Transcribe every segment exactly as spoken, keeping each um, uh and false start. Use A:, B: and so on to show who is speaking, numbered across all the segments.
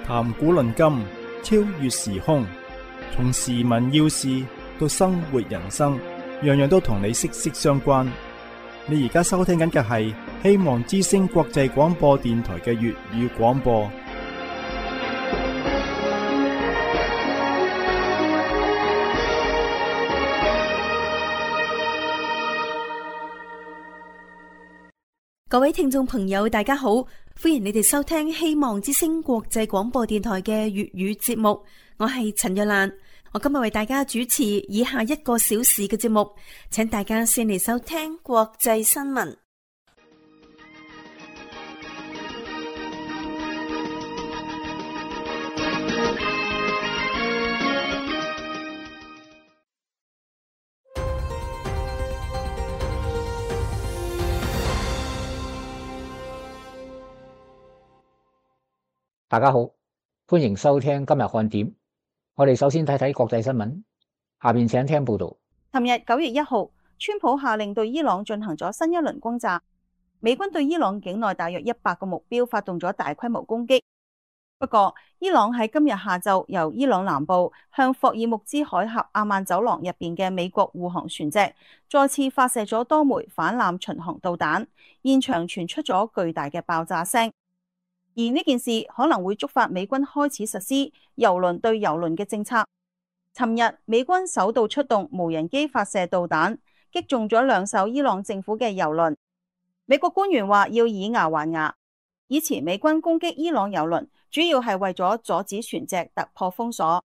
A: 談古論今，超越時空，從時聞要事到生活人生，樣樣都同你息息相關。你而家收聽緊嘅係希望之聲國際廣播電台嘅粵語廣播。
B: 各位聽眾朋友，大家好，歡迎你哋收聽希望之聲國際廣播電台嘅粵語節目。我係陳若蘭，我今日為大家主持以下一個小時嘅節目，請大家先嚟收聽國際新聞。
C: 大家好，歡迎收聽今日看點。我哋首先睇睇國際新聞，下面請聽報道。
D: 尋日九月一號，川普下令對伊朗進行咗新一輪轟炸，美軍對伊朗境內大約一百個目標發動咗大規模攻擊。不過，伊朗喺今日下晝由伊朗南部向霍爾木茲海峽阿曼走廊入邊嘅美國護航船隻再次發射咗多枚反艦巡航導彈，現場傳出咗巨大嘅爆炸聲。而呢件事可能會觸發美軍開始實施郵輪對郵輪嘅政策。尋日美軍首度出動無人機發射導彈，擊中咗兩艘伊朗政府嘅郵輪。美國官員話要以牙還牙。以前美軍攻擊伊朗郵輪主要係為咗阻止船隻突破封鎖，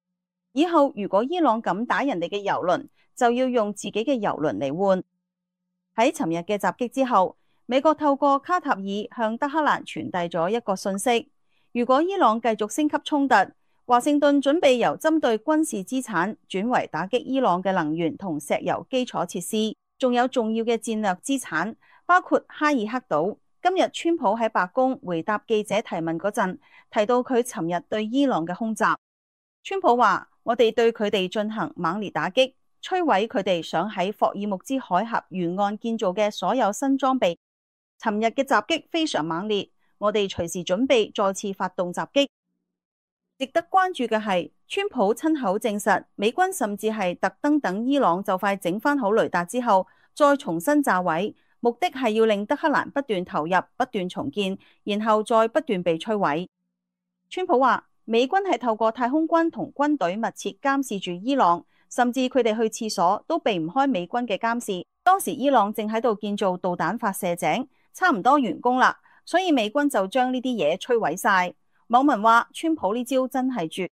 D: 以後如果伊朗敢打人哋嘅郵輪，就要用自己嘅郵輪嚟換。喺尋日嘅襲擊之後，美國透過卡塔爾向德黑蘭傳遞咗一個信息：如果伊朗繼續升級衝突，華盛頓準備由針對軍事資產轉為打擊伊朗嘅能源同石油基礎設施，仲有重要嘅戰略資產，包括哈爾克島。今日川普喺白宮回答記者提問嗰陣，提到佢尋日對伊朗嘅空襲。川普話：我哋對佢哋進行猛烈打擊，摧毀佢哋想喺霍爾木茲海峽沿岸建造嘅所有新裝備。尋日嘅襲擊非常猛烈，我哋隨時準備再次發動襲擊。值得關注嘅係，川普親口證實，美軍甚至係特登等伊朗就快整翻好雷達之後，再重新炸毀，目的係要令德黑蘭不斷投入、不斷重建，然後再不斷被摧毀。川普話，美軍係透過太空軍同軍隊密切監視住伊朗，甚至佢哋去廁所都避唔開美軍嘅監視。當時伊朗正喺度建造導彈發射井，差唔多完工啦，所以美軍就將呢啲嘢摧毀晒。網民話川普呢招真係絕。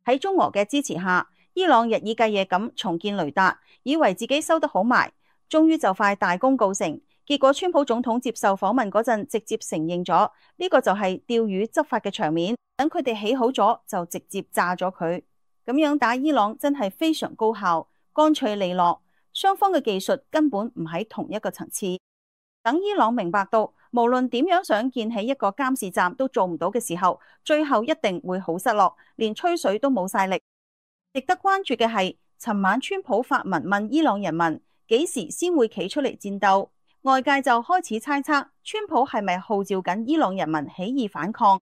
D: 喺中俄嘅支持下，伊朗日以繼夜咁重建雷達，以為自己收得好埋，終於就快大功告成。結果川普總統接受訪問嗰陣，直接承認咗呢個就係釣魚執法嘅場面，等佢哋起好咗就直接炸咗佢。咁樣打伊朗真係非常高效，乾脆利落，雙方嘅技術根本唔喺同一個層次。等伊朗明白到無論點樣想建起一個監視站都做唔到嘅時候，最後一定會好失落，連吹水都冇晒力。值得關注嘅係，尋晚川普發文問伊朗人民幾時先會企出嚟戰鬥，外界就開始猜測川普係咪號召緊伊朗人民起義反抗，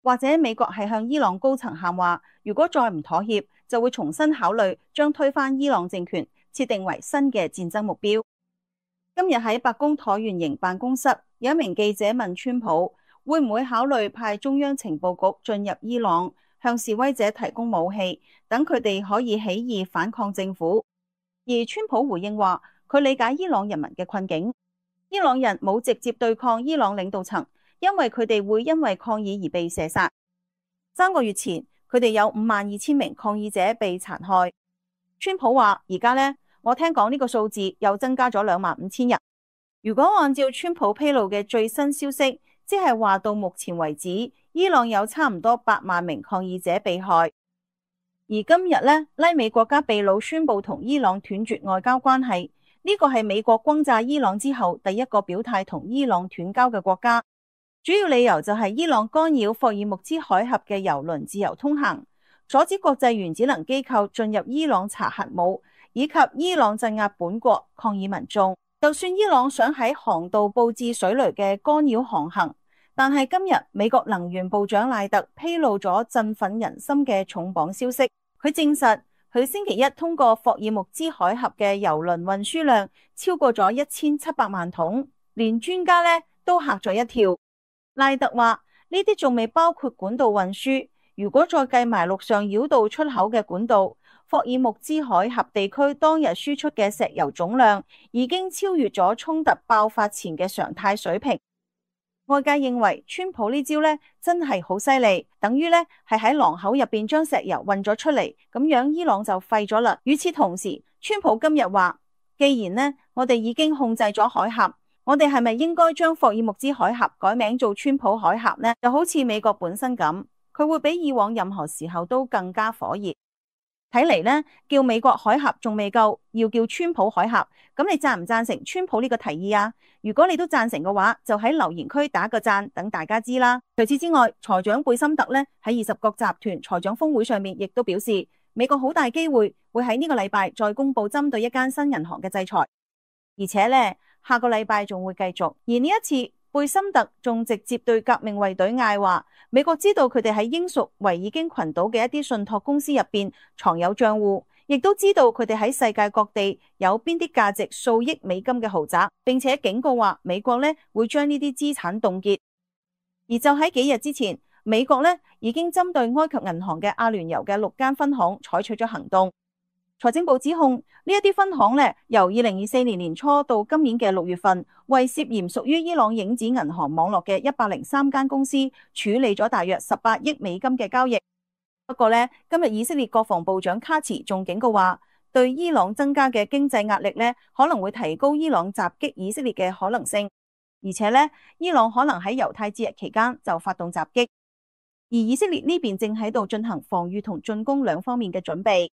D: 或者美國係向伊朗高層喊話，如果再唔妥協，就會重新考慮將推翻伊朗政權設定為新嘅戰爭目標。今日喺白宮橢圓形辦公室，有一名記者問川普會唔會考慮派中央情報局進入伊朗，向示威者提供武器，等佢哋可以起義反抗政府。而川普回應話，佢理解伊朗人民嘅困境，伊朗人冇直接對抗伊朗領導層，因為佢哋會因為抗議而被射殺。三個月前，佢哋有五萬二千名抗議者被殘害。川普話，而家呢，我聽講呢個數字又增加咗兩萬五千人。如果按照川普披露嘅最新消息，即係話到目前為止，伊朗有差唔多八萬名抗議者被害。而今日呢，拉美國家秘魯宣布同伊朗斷絕外交關係，呢個係美國轟炸伊朗之後第一個表態同伊朗斷交嘅國家。主要理由就係伊朗干擾霍爾木茲海峽嘅郵輪自由通行，阻止國際原子能機構進入伊朗查核武，以及伊朗鎮壓本國抗議民眾。就算伊朗想喺航道佈置水雷嘅干擾航行，但係今日美國能源部長賴特披露咗振奮人心嘅重磅消息，佢證實佢星期一通過霍爾木茲海峽嘅郵輪運輸量超過咗一千七百萬桶，連專家咧都嚇咗一跳。賴特話呢啲仲未包括管道運輸，如果再計埋陸上繞道出口嘅管道，霍爾木茲海峽地區當日輸出嘅石油總量已經超越咗衝突爆發前嘅常態水平。外界認為川普呢招咧真係好犀利，等於咧係喺廊口入邊將石油運咗出嚟，咁樣伊朗就廢咗啦。與此同時，川普今日話，既然呢我哋已經控制咗海峽，我哋係咪應該將霍爾木茲海峽改名做川普海峽呢？就好似美國本身咁，佢會比以往任何時候都更加火熱。睇嚟呢，叫美國海峽仲未夠，要叫川普海峽。咁你贊唔贊成川普呢個提議啊？如果你都贊成嘅話，就喺留言區打個贊，等大家知啦。除此之外，財長貝森特呢喺二十國集團財長峰會上面，亦都表示美國好大機會會喺呢個禮拜再公布針對一間新銀行嘅制裁，而且呢，下個禮拜仲會繼續。而呢一次，貝森特仲直接對革命衛隊嗌話，美國知道佢哋喺英屬維爾京群島嘅一啲信託公司入邊藏有賬戶，亦都知道佢哋喺世界各地有邊啲價值數億美金嘅豪宅，並且警告話美國呢會將呢啲資產凍結。而就喺幾日之前，美國呢已經針對埃及銀行嘅阿聯酋嘅六間分行採取咗行動。財政部指控呢一啲分行咧，由二零二四年年初到今年嘅六月份，為涉嫌屬於伊朗影子銀行網絡嘅一百零三間公司處理咗大約十八億美金嘅交易。不過咧，今日以色列國防部長卡茨仲警告話，對伊朗增加嘅經濟壓力咧，可能會提高伊朗襲擊以色列嘅可能性，而且咧，伊朗可能喺猶太節日期間就發動襲擊，而以色列呢邊正喺度進行防禦同進攻兩方面嘅準備。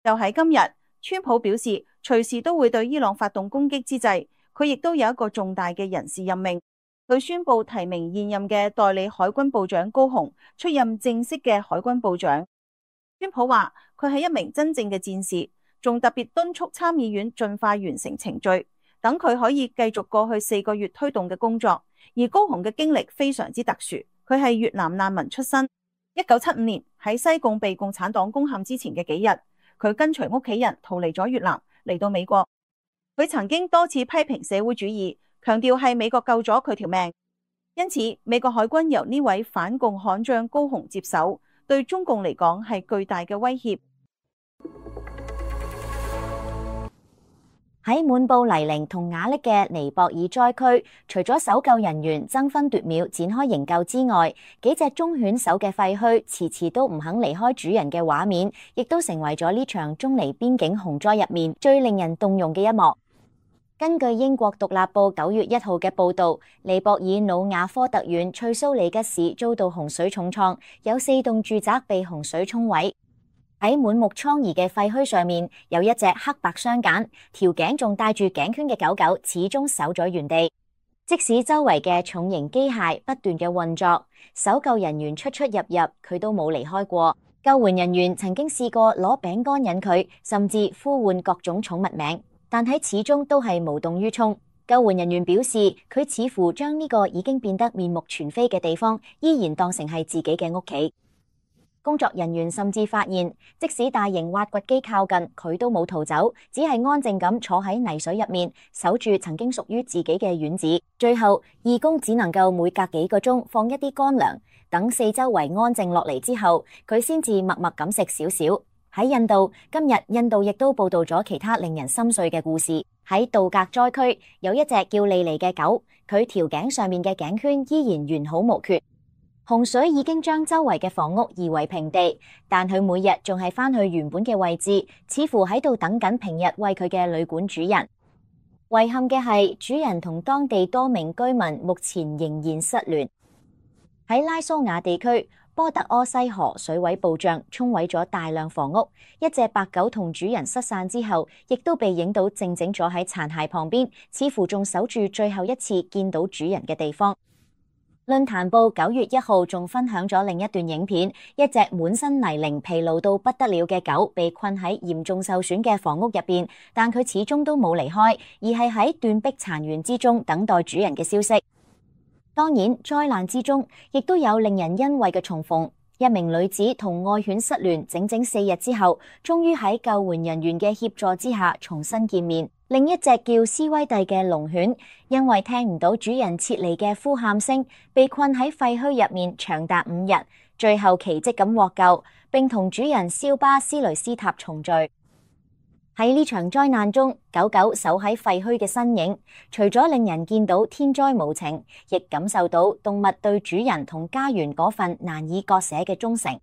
D: 就喺今日，川普表示隨時都會對伊朗發動攻擊之際，佢亦都有一個重大嘅人事任命。佢宣布提名現任嘅代理海軍部長高雄出任正式嘅海軍部長。川普話佢係一名真正嘅戰士，仲特別敦促參議院盡快完成程序，等佢可以繼續過去四個月推動嘅工作。而高雄嘅經歷非常之特殊，佢係越南難民出身，一九七五年喺西貢被共產黨攻陷之前嘅幾日，佢跟隨屋企人逃離咗越南，嚟到美國。佢曾經多次批評社會主義，強調係美國救咗佢條命。因此，美國海軍由呢位反共悍將高雄接手，對中共嚟講係巨大嘅威脅。
E: 喺滿布泥濘同瓦礫嘅尼泊爾災區，除咗搜救人員爭分奪秒展開營救之外，幾隻忠犬守嘅廢墟遲遲都唔肯離開主人嘅畫面，亦都成為咗呢場中尼邊境洪災入面最令人動容嘅一幕。根據英國獨立報九月一號嘅報導，尼泊爾努瓦科特縣翠蘇里吉市遭到洪水重創，有四棟住宅被洪水沖毀。喺滿目瘡痍嘅廢墟上面，有一隻黑白相間、條頸仲帶住頸圈嘅狗狗，始終守咗原地。即使周圍嘅重型機械不斷嘅運作，搜救人員出出入入，佢都冇離開過。救援人員曾經試過攞餅乾引佢，甚至呼喚各種寵物名，但係始終都係無動於衷。救援人員表示，佢似乎將呢個已經變得面目全非嘅地方，依然當成係自己嘅屋企。工作人員甚至發現，即使大型挖掘機靠近，佢都冇逃走，只係安靜咁坐喺泥水入面，守住曾經屬於自己嘅院子。最後，義工只能夠每隔幾個鐘放一啲乾糧，等四周圍安靜落嚟之後，佢先至默默咁食少少。喺印度，今日印度亦都報道咗其他令人心碎嘅故事。喺杜格災區，有一隻叫莉莉嘅狗，佢條頸上面嘅頸圈依然完好無缺。洪水已經將周圍嘅房屋夷為平地，但佢每日仲係返去原本嘅位置，似乎喺度等緊平日為佢嘅旅館主人。遺憾嘅係，主人同當地多名居民目前仍然失聯。喺拉蘇瓦地區，波特柯西河水位暴漲，沖毀咗大量房屋。一隻白狗同主人失散之後，亦都被影到靜靜坐喺殘骸旁邊，似乎仲守住最後一次見到主人嘅地方。論壇報九月一號仲分享咗另一段影片，一隻滿身泥濘、疲勞到不得了嘅狗被困喺嚴重受損嘅房屋入邊，但佢始終都冇離開，而係喺斷壁殘垣之中等待主人嘅消息。當然，災難之中亦都有令人欣慰嘅重逢。一名女子同愛犬失聯整整四日之後，終於喺救援人員嘅協助之下重新見面。另一隻叫斯威蒂嘅龍犬，因為聽唔到主人撤離嘅呼喊聲，被困喺廢墟入面長達五日，最後奇蹟咁獲救，並同主人肖巴斯雷斯塔重聚。喺呢場災難中，狗狗守喺廢墟嘅身影，除咗令人見到天災無情，亦感受到動物對主人同家園嗰份難以割捨嘅忠誠。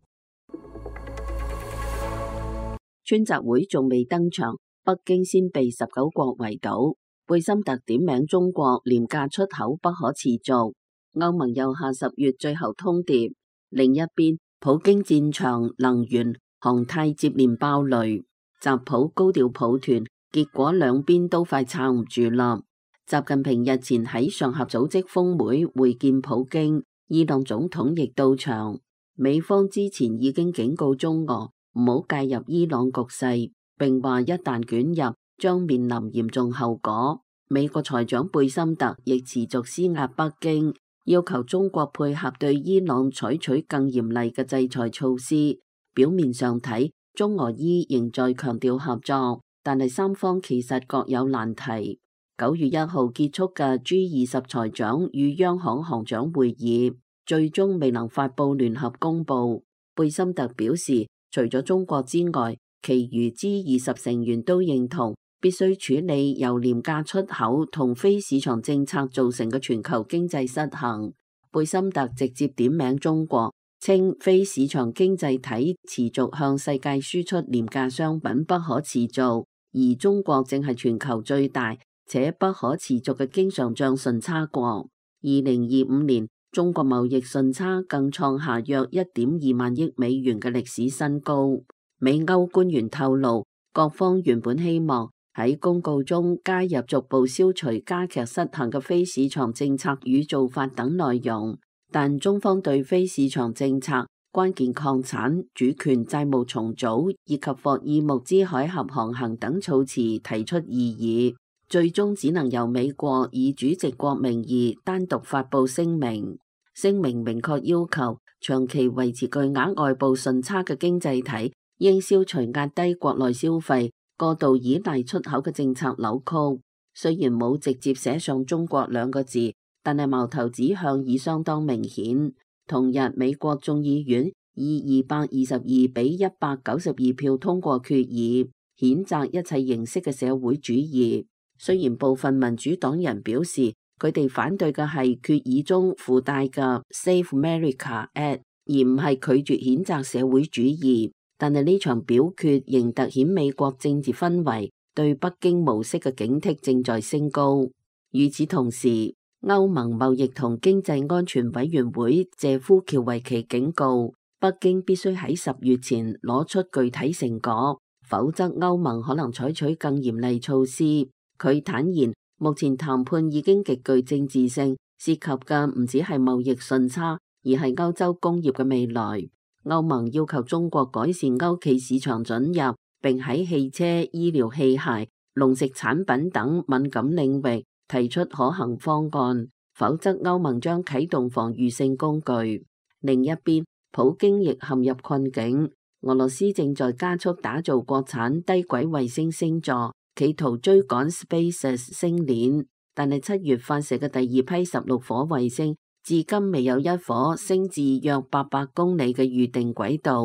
F: 川習會仲未登場，北京先被十九國圍堵。貝森特點名中國廉價出口不可持續。歐盟又下十月最後通牒。另一邊，普京戰場能源、航太接連爆雷。習普高調抱團，結果兩邊都快撐唔住啦。習近平日前喺上合組織峰會會見普京，伊朗總統亦到場。美方之前已經警告中俄唔好介入伊朗局勢，並話一旦捲入將面臨嚴重後果。美國財長貝森特亦持續施壓北京，要求中國配合對伊朗採取更嚴厲嘅制裁措施。表面上睇，中俄伊仍在強調合作，但係三方其實各有難題。九月一號結束嘅 G 二十財長與央行行長會議，最終未能發佈聯合公報。貝森特表示，除咗中國之外，其餘 G 二十成員都認同必須處理由廉價出口同非市場政策造成嘅全球經濟失衡。貝森特直接點名中國，稱非市場經濟體持續向世界輸出廉價商品不可持續，而中國正係全球最大且不可持續嘅經常賬順差國。二零二五年，中國貿易順差更創下約一點二萬億美元嘅歷史新高。美歐官員透露，各方原本希望喺公告中加入逐步消除加劇失衡嘅非市場政策與做法等內容。但中方對非市場政策、關鍵礦產、主權債務重組以及霍爾木茲海峽航行等措辭提出異議，最終只能由美國以主席國名義單獨發布聲明。聲明明確要求長期維持巨額外部順差嘅經濟體應消除壓低國內消費、過度依賴出口嘅政策扭曲。雖然冇直接寫上中國兩個字，但係矛頭指向已相當明顯。同日，美國眾議院以二百二十二比一百九十二票通過決議，譴責一切形式嘅社會主義。雖然部分民主黨人表示，佢哋反對嘅係決議中附帶嘅 Save America Act， 而唔係拒絕譴責社會主義。但係呢場表決仍凸顯美國政治氛圍對北京模式嘅警惕正在升高。與此同時，歐盟貿易同經濟安全委員會謝夫喬維奇警告，北京必須喺十月前攞出具體成果，否則歐盟可能採取更嚴厲措施。佢坦言，目前談判已經極具政治性，涉及嘅唔只係貿易順差，而係歐洲工業嘅未來。歐盟要求中國改善歐企市場准入，並喺汽車、醫療器械、農食產品等敏感領域提出可行方案，否則歐盟將啟動防禦性工具。另一邊，普京亦陷入困境。俄羅斯正在加速打造國產低軌衛星星座，企圖追趕 SpaceX 星鏈，但係七月發射嘅第二批十六顆衛星，至今未有一顆升至約八百公里嘅預定軌道。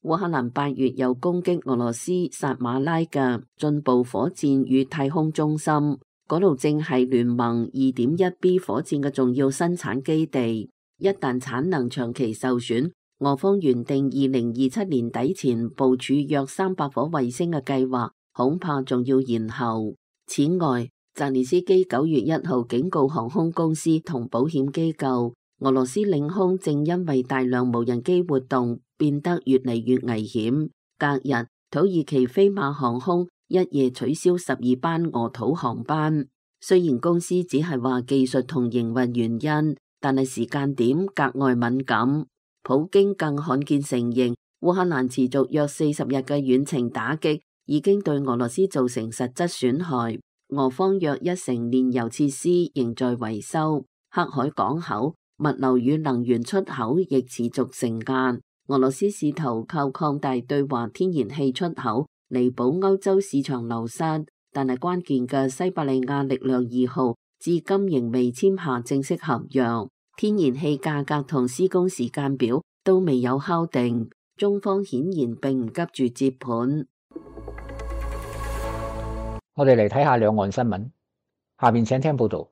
F: 烏克蘭八月又攻擊俄羅斯薩馬拉嘅進步火箭與太空中心。嗰度正係聯盟 二點一 B 火箭嘅重要生產基地，一旦產能長期受損，俄方原定二零二七年底前部署約三百顆衛星嘅計劃，恐怕仲要延後。此外，澤連斯基九月一號警告航空公司同保險機構，俄羅斯領空正因為大量無人機活動變得越嚟越危險。隔日，土耳其飛馬航空一夜取消十二班俄土航班，雖然公司只係話技術同營運原因，但係時間點格外敏感。普京更罕見承認，烏克蘭持續約四十日嘅遠程打擊已經對俄羅斯造成實質損害。俄方約一成煉油設施仍在維修。黑海港口物流與能源出口亦持續成限。俄羅斯試圖靠擴大對華天然氣出口彌補歐洲市場流失，但係關鍵嘅西伯利亞力量二號至今仍未簽下正式合約，天然氣價格同施工時間表都未有敲定，中方顯然並唔急住接盤。
C: 我哋嚟睇下兩岸新聞，下面請聽報道。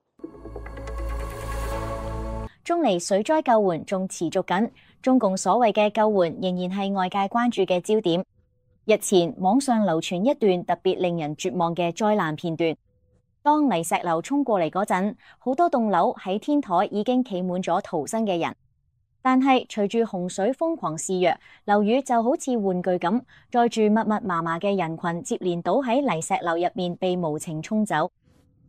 E: 中尼水災救援仲持續緊，中共所謂嘅救援仍然係外界關注嘅焦點。日前網上流傳一段特別令人絕望嘅災難片段，當泥石流衝過嚟嗰陣，好多棟樓喺天台已經企滿咗逃生嘅人，但係隨住洪水瘋狂肆虐，樓宇就好似玩具咁，載住密密麻麻嘅人群接連倒喺泥石流入面，被無情沖走。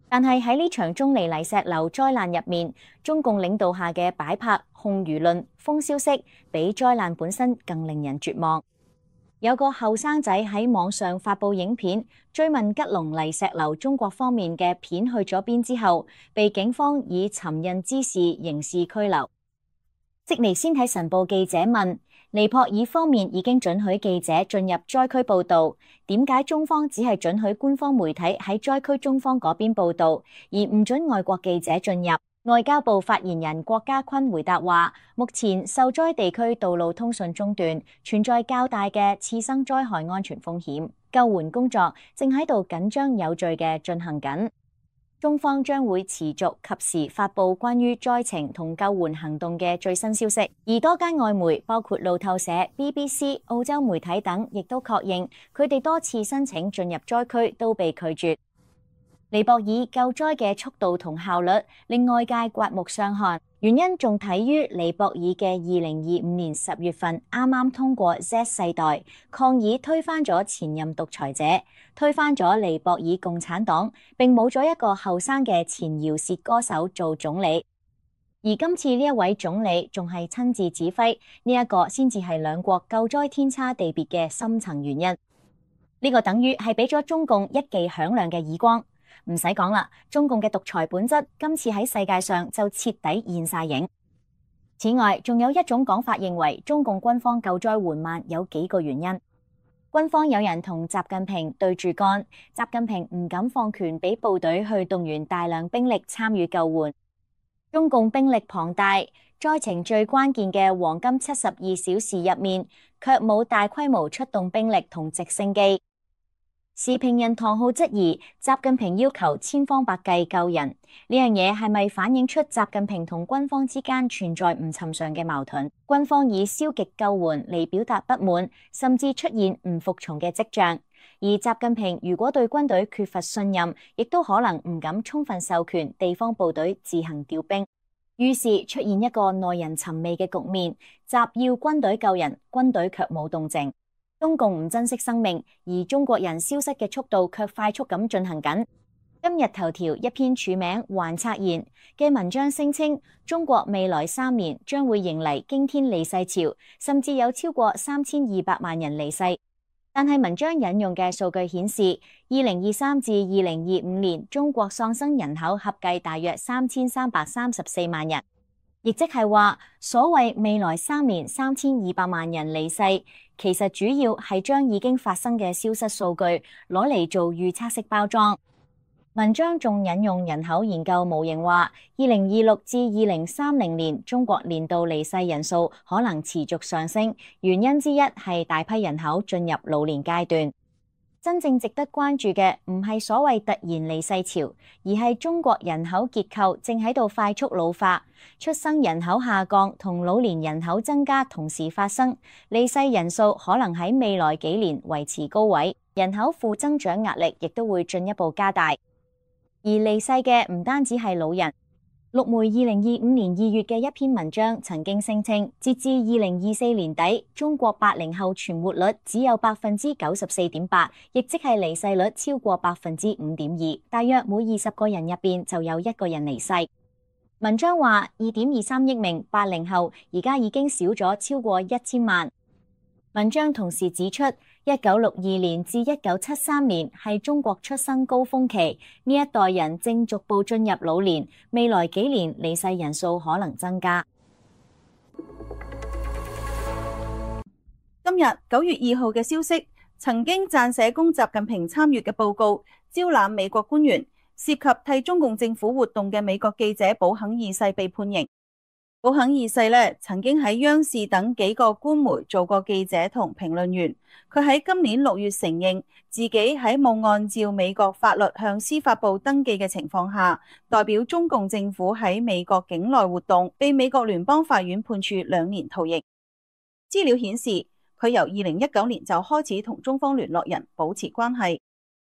E: 但係喺呢場中尼泥石流災難入面，中共領導下嘅擺拍、控輿論、封消息，比災難本身更令人絕望。有個後生仔喺網上發佈影片，追問吉隆泥石流中國方面嘅片去咗邊之後，被警方以尋釁滋事刑事拘留。悉尼先睇晨報記者問：尼泊爾方面已經准許記者進入災區報道，點解中方只係准許官方媒體喺災區中方嗰邊報道，而唔准外國記者進入？外交部發言人郭家坤回答話：目前受災地區道路通訊中斷，存在較大嘅次生災害安全風險，救援工作正喺度緊張有序嘅進行緊。中方將會持續及時發布關於災情同救援行動嘅最新消息，而多間外媒包括路透社、B B C、澳洲媒體等，亦都確認佢哋多次申請進入災區都被拒絕。尼泊爾救災嘅速度同效率令外界刮目相看，原因仲睇於尼泊爾嘅二零二五年十月份啱啱通過 Z 世代抗議推翻咗前任獨裁者，推翻咗尼泊爾共產黨，並冇咗一個後生嘅前饒舌歌手做總理。而今次呢一位總理仲係親自指揮，呢一個先至係兩國救災天差地別嘅深層原因。呢個等於係俾咗中共一記響亮嘅耳光。唔使講啦，中共嘅獨裁本質今次喺世界上就徹底現晒影。此外，仲有一種講法認為中共軍方救災緩慢有幾個原因。軍方有人同習近平對住幹，習近平唔敢放權俾部隊去動員大量兵力參與救援。中共兵力龐大，災情最關鍵嘅黃金七十二小時入面，卻冇大規模出動兵力同直升機。時評人唐浩質疑習近平要求千方百計救人，呢樣嘢係咪反映出習近平同軍方之間存在唔尋常嘅矛盾？軍方以消極救援嚟表達不滿，甚至出現唔服從嘅跡象。而習近平如果對軍隊缺乏信任，亦都可能唔敢充分授權地方部隊自行調兵，於是出現一個耐人尋味嘅局面：習要軍隊救人，軍隊卻冇動靜。中共唔珍惜生命，而中國人消失嘅速度卻快速咁進行緊。今日頭條一篇署名還察言嘅文章聲稱，中國未來三年將會迎嚟驚天離世潮，甚至有超過三千二百萬人離世。但係文章引用嘅數據顯示，二零二三至二零二五年中國喪生人口合計大約三千三百三十四萬人，亦即係話所謂未來三年三千二百萬人離世，其實主要係將已經發生嘅消失數據攞嚟做預測式包裝。文章仲引用人口研究模型話，二零二六至二零三零年中國年度離世人數可能持續上升，原因之一係大批人口進入老年階段。真正值得關注嘅唔係所謂突然離世潮，而係中國人口結構正喺度快速老化，出生人口下降同老年人口增加同時發生，離世人數可能喺未來幾年維持高位，人口負增長壓力亦都會進一步加大。而離世嘅唔單止係老人。陸媒二零二五年二月嘅一篇文章曾經聲稱，截至二零二四年底，中國八零後存活率只有百分之九十四點八，亦即係離世率超過百分之五點二，大約每二十個人入邊就有一個人離世。文章話，二點二三億名八零後而家已經少咗超過一千萬。文章同時指出，一九六二年至一九七三年係中國出生高峰期，呢一代人正逐步進入老年，未來幾年離世人數可能增加。
D: 今日九月二號嘅消息，曾經撰寫供習近平參閱嘅報告，招攬美國官員，涉及替中共政府活動嘅美國記者保肯二世被判刑。保肯二世咧，曾經喺央視等幾個官媒做過記者同評論員。佢喺今年六月承認自己喺冇按照美國法律向司法部登記嘅情況下，代表中共政府喺美國境內活動，被美國聯邦法院判處兩年徒刑。資料顯示，佢由二零一九年就開始同中方聯絡人保持關係。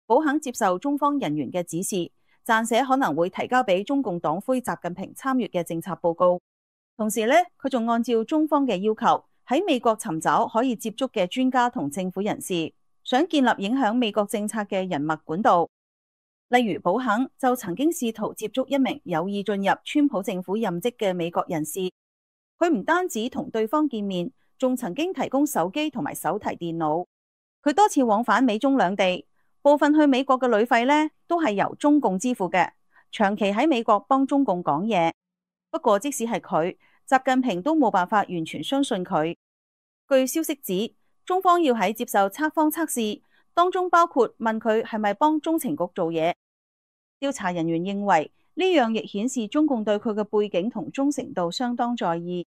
D: 保肯接受中方人員嘅指示，撰寫可能會提交俾中共黨魁習近平參閱嘅政策報告。同時咧，佢仲按照中方嘅要求，喺美國尋找可以接觸嘅專家同政府人士，想建立影響美國政策嘅人脈管道。例如，保肯就曾經試圖接觸一名有意進入川普政府任職嘅美國人士。佢唔單止同對方見面，仲曾經提供手機同埋手提電腦。佢多次往返美中兩地，部分去美國嘅旅費咧都係由中共支付嘅，長期喺美國幫中共講嘢。不過，即使係佢，習近平都冇辦法完全相信佢。據消息指，中方要喺接受測謊測試，當中包括問佢係咪幫中情局做嘢。調查人員認為呢樣亦顯示中共對佢嘅背景同忠誠度相當在意。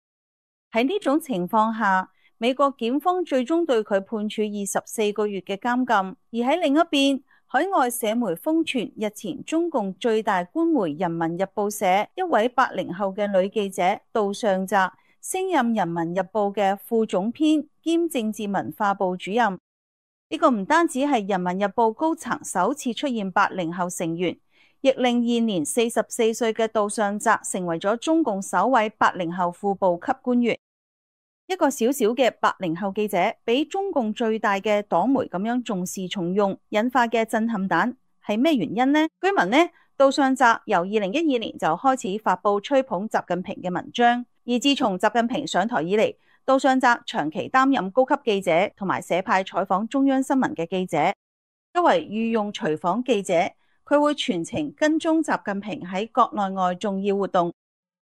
D: 喺呢種情況下，美國檢方最終對佢判處二十四個月嘅監禁。而喺另一邊，海外社媒瘋傳日前中共最大官媒《人民日報》社一位八零後嘅女記者杜尚澤升任《人民日報》嘅副總編兼政治文化部主任。呢個唔單止係《人民日報》高層首次出現八零後成員，亦令現年四十四歲嘅杜尚澤成為咗中共首位八零後副部級官員。一個小小嘅八零後記者，俾中共最大嘅黨媒咁樣重視重用，引發嘅震撼彈係咩原因呢？據聞呢，杜尚澤由二零一二年就開始發佈吹捧習近平嘅文章，而自從習近平上台以嚟，杜尚澤長期擔任高級記者同埋社派採訪中央新聞嘅記者。作為御用隨訪記者，佢會全程跟蹤習近平喺國內外重要活動。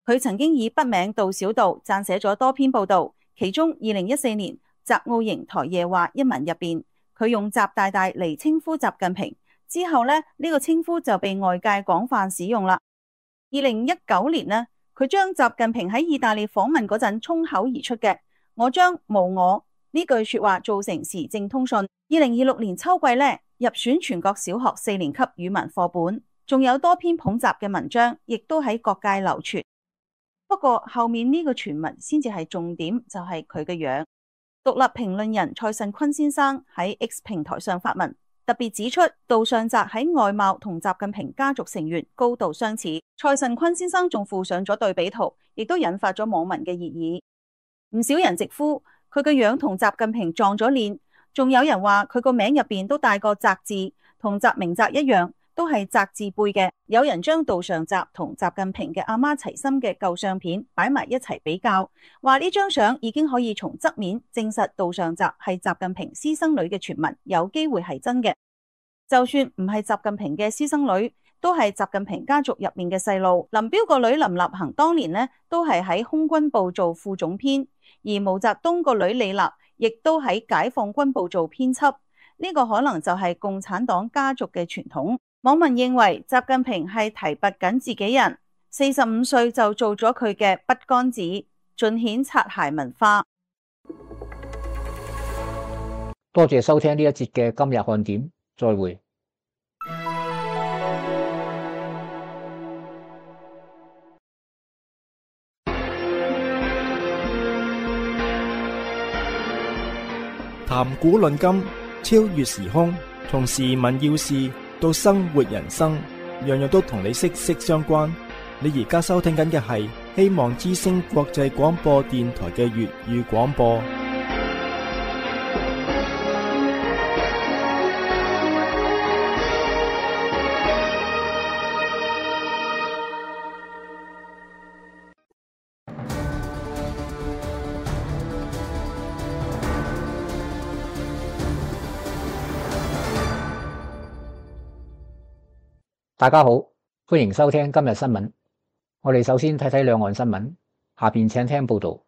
D: 佢曾經以筆名杜小道撰寫咗多篇報道。其中，二零一四年習奧營台夜話一文入邊，佢用習大大嚟稱呼習近平，之後咧呢、呢個稱呼就被外界廣泛使用啦。二零一九年呢，佢將習近平喺意大利訪問嗰陣衝口而出嘅我將無我呢句說話做成時政通訊。二零二六年秋季咧入選全國小學四年級語文課本，仲有多篇捧習嘅文章，亦都喺各界流傳。不過後面呢個傳聞先至係重點，就係佢嘅樣。獨立評論人蔡慎坤先生喺 X 平台上發文，特別指出杜尚澤喺外貌同習近平家族成員高度相似。蔡慎坤先生仲附上咗對比圖，亦都引發咗網民嘅熱議。唔少人直呼佢嘅樣同習近平撞咗臉，仲有人話佢個名入邊都帶個澤字，同習明澤一樣，都係澤字輩嘅。有人將杜尚澤同習近平嘅阿媽齊心嘅舊相片擺埋一齊比較，話呢張相已經可以從側面證實杜尚澤係習近平私生女嘅傳聞有機會係真嘅。就算唔係習近平嘅私生女，都係習近平家族入面嘅細路。林彪個女林立行當年呢都係喺空軍部做副總編，而毛澤東個女李立亦都喺解放軍部做編輯。呢個可能就係共產黨家族嘅傳統。網民認為習近平係提拔緊自己人，四十五歲就做咗佢嘅筆桿子，盡顯擦鞋文化。
C: 多謝收聽呢一節嘅今日看點，再會。
A: 談古論今，超越時空，從時聞要事到生活人生，樣樣都同你息息相關。你而家收聽緊嘅係希望之聲國際廣播電台嘅粵語廣播。
C: 大家好，歡迎收聽今日新聞。我哋首先睇睇兩岸新聞，下邊請聽報道。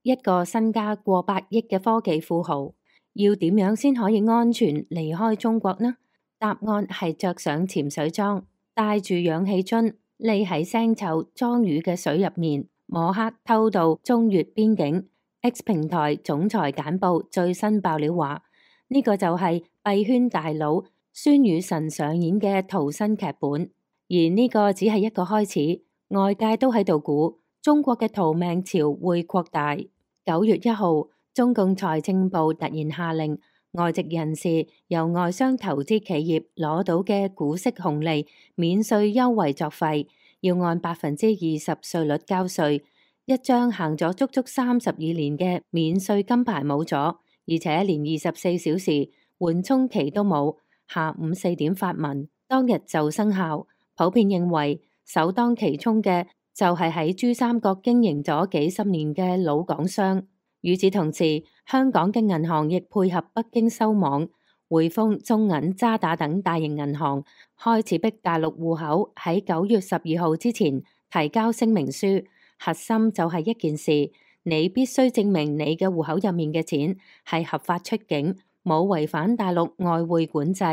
G: 一個身家過百億嘅科技富豪，要點樣先可以安全離開中國呢？答案係着上潛水裝，帶住氧氣樽，匿喺腥臭裝魚嘅水入面，摸黑偷渡中越邊境。X 平台總裁簡報最新爆料話，呢、這個就係幣圈大佬孫宇晨上演嘅逃生劇本，而呢個只係一個開始。外界都喺度估中國嘅逃命潮會擴大。九月一號，中共財政部突然下令，外籍人士由外商投資企業攞到嘅股息紅利免稅優惠作廢，要按百分之二十稅率交稅。一張行咗足足三十二年嘅免稅金牌冇咗，而且連二十四小時緩衝期都冇。下午四點發文，當日就生效。普遍認為首當其衝嘅就係喺珠三角經營咗幾十年嘅老港商。與此同時，香港嘅銀行亦配合北京收網，匯豐、中銀、渣打等大型銀行開始逼大陸戶口喺九月十二號之前提交聲明書。核心就係一件事，你必須證明你嘅戶口入面嘅錢係合法出境，冇違反大陸外匯管制。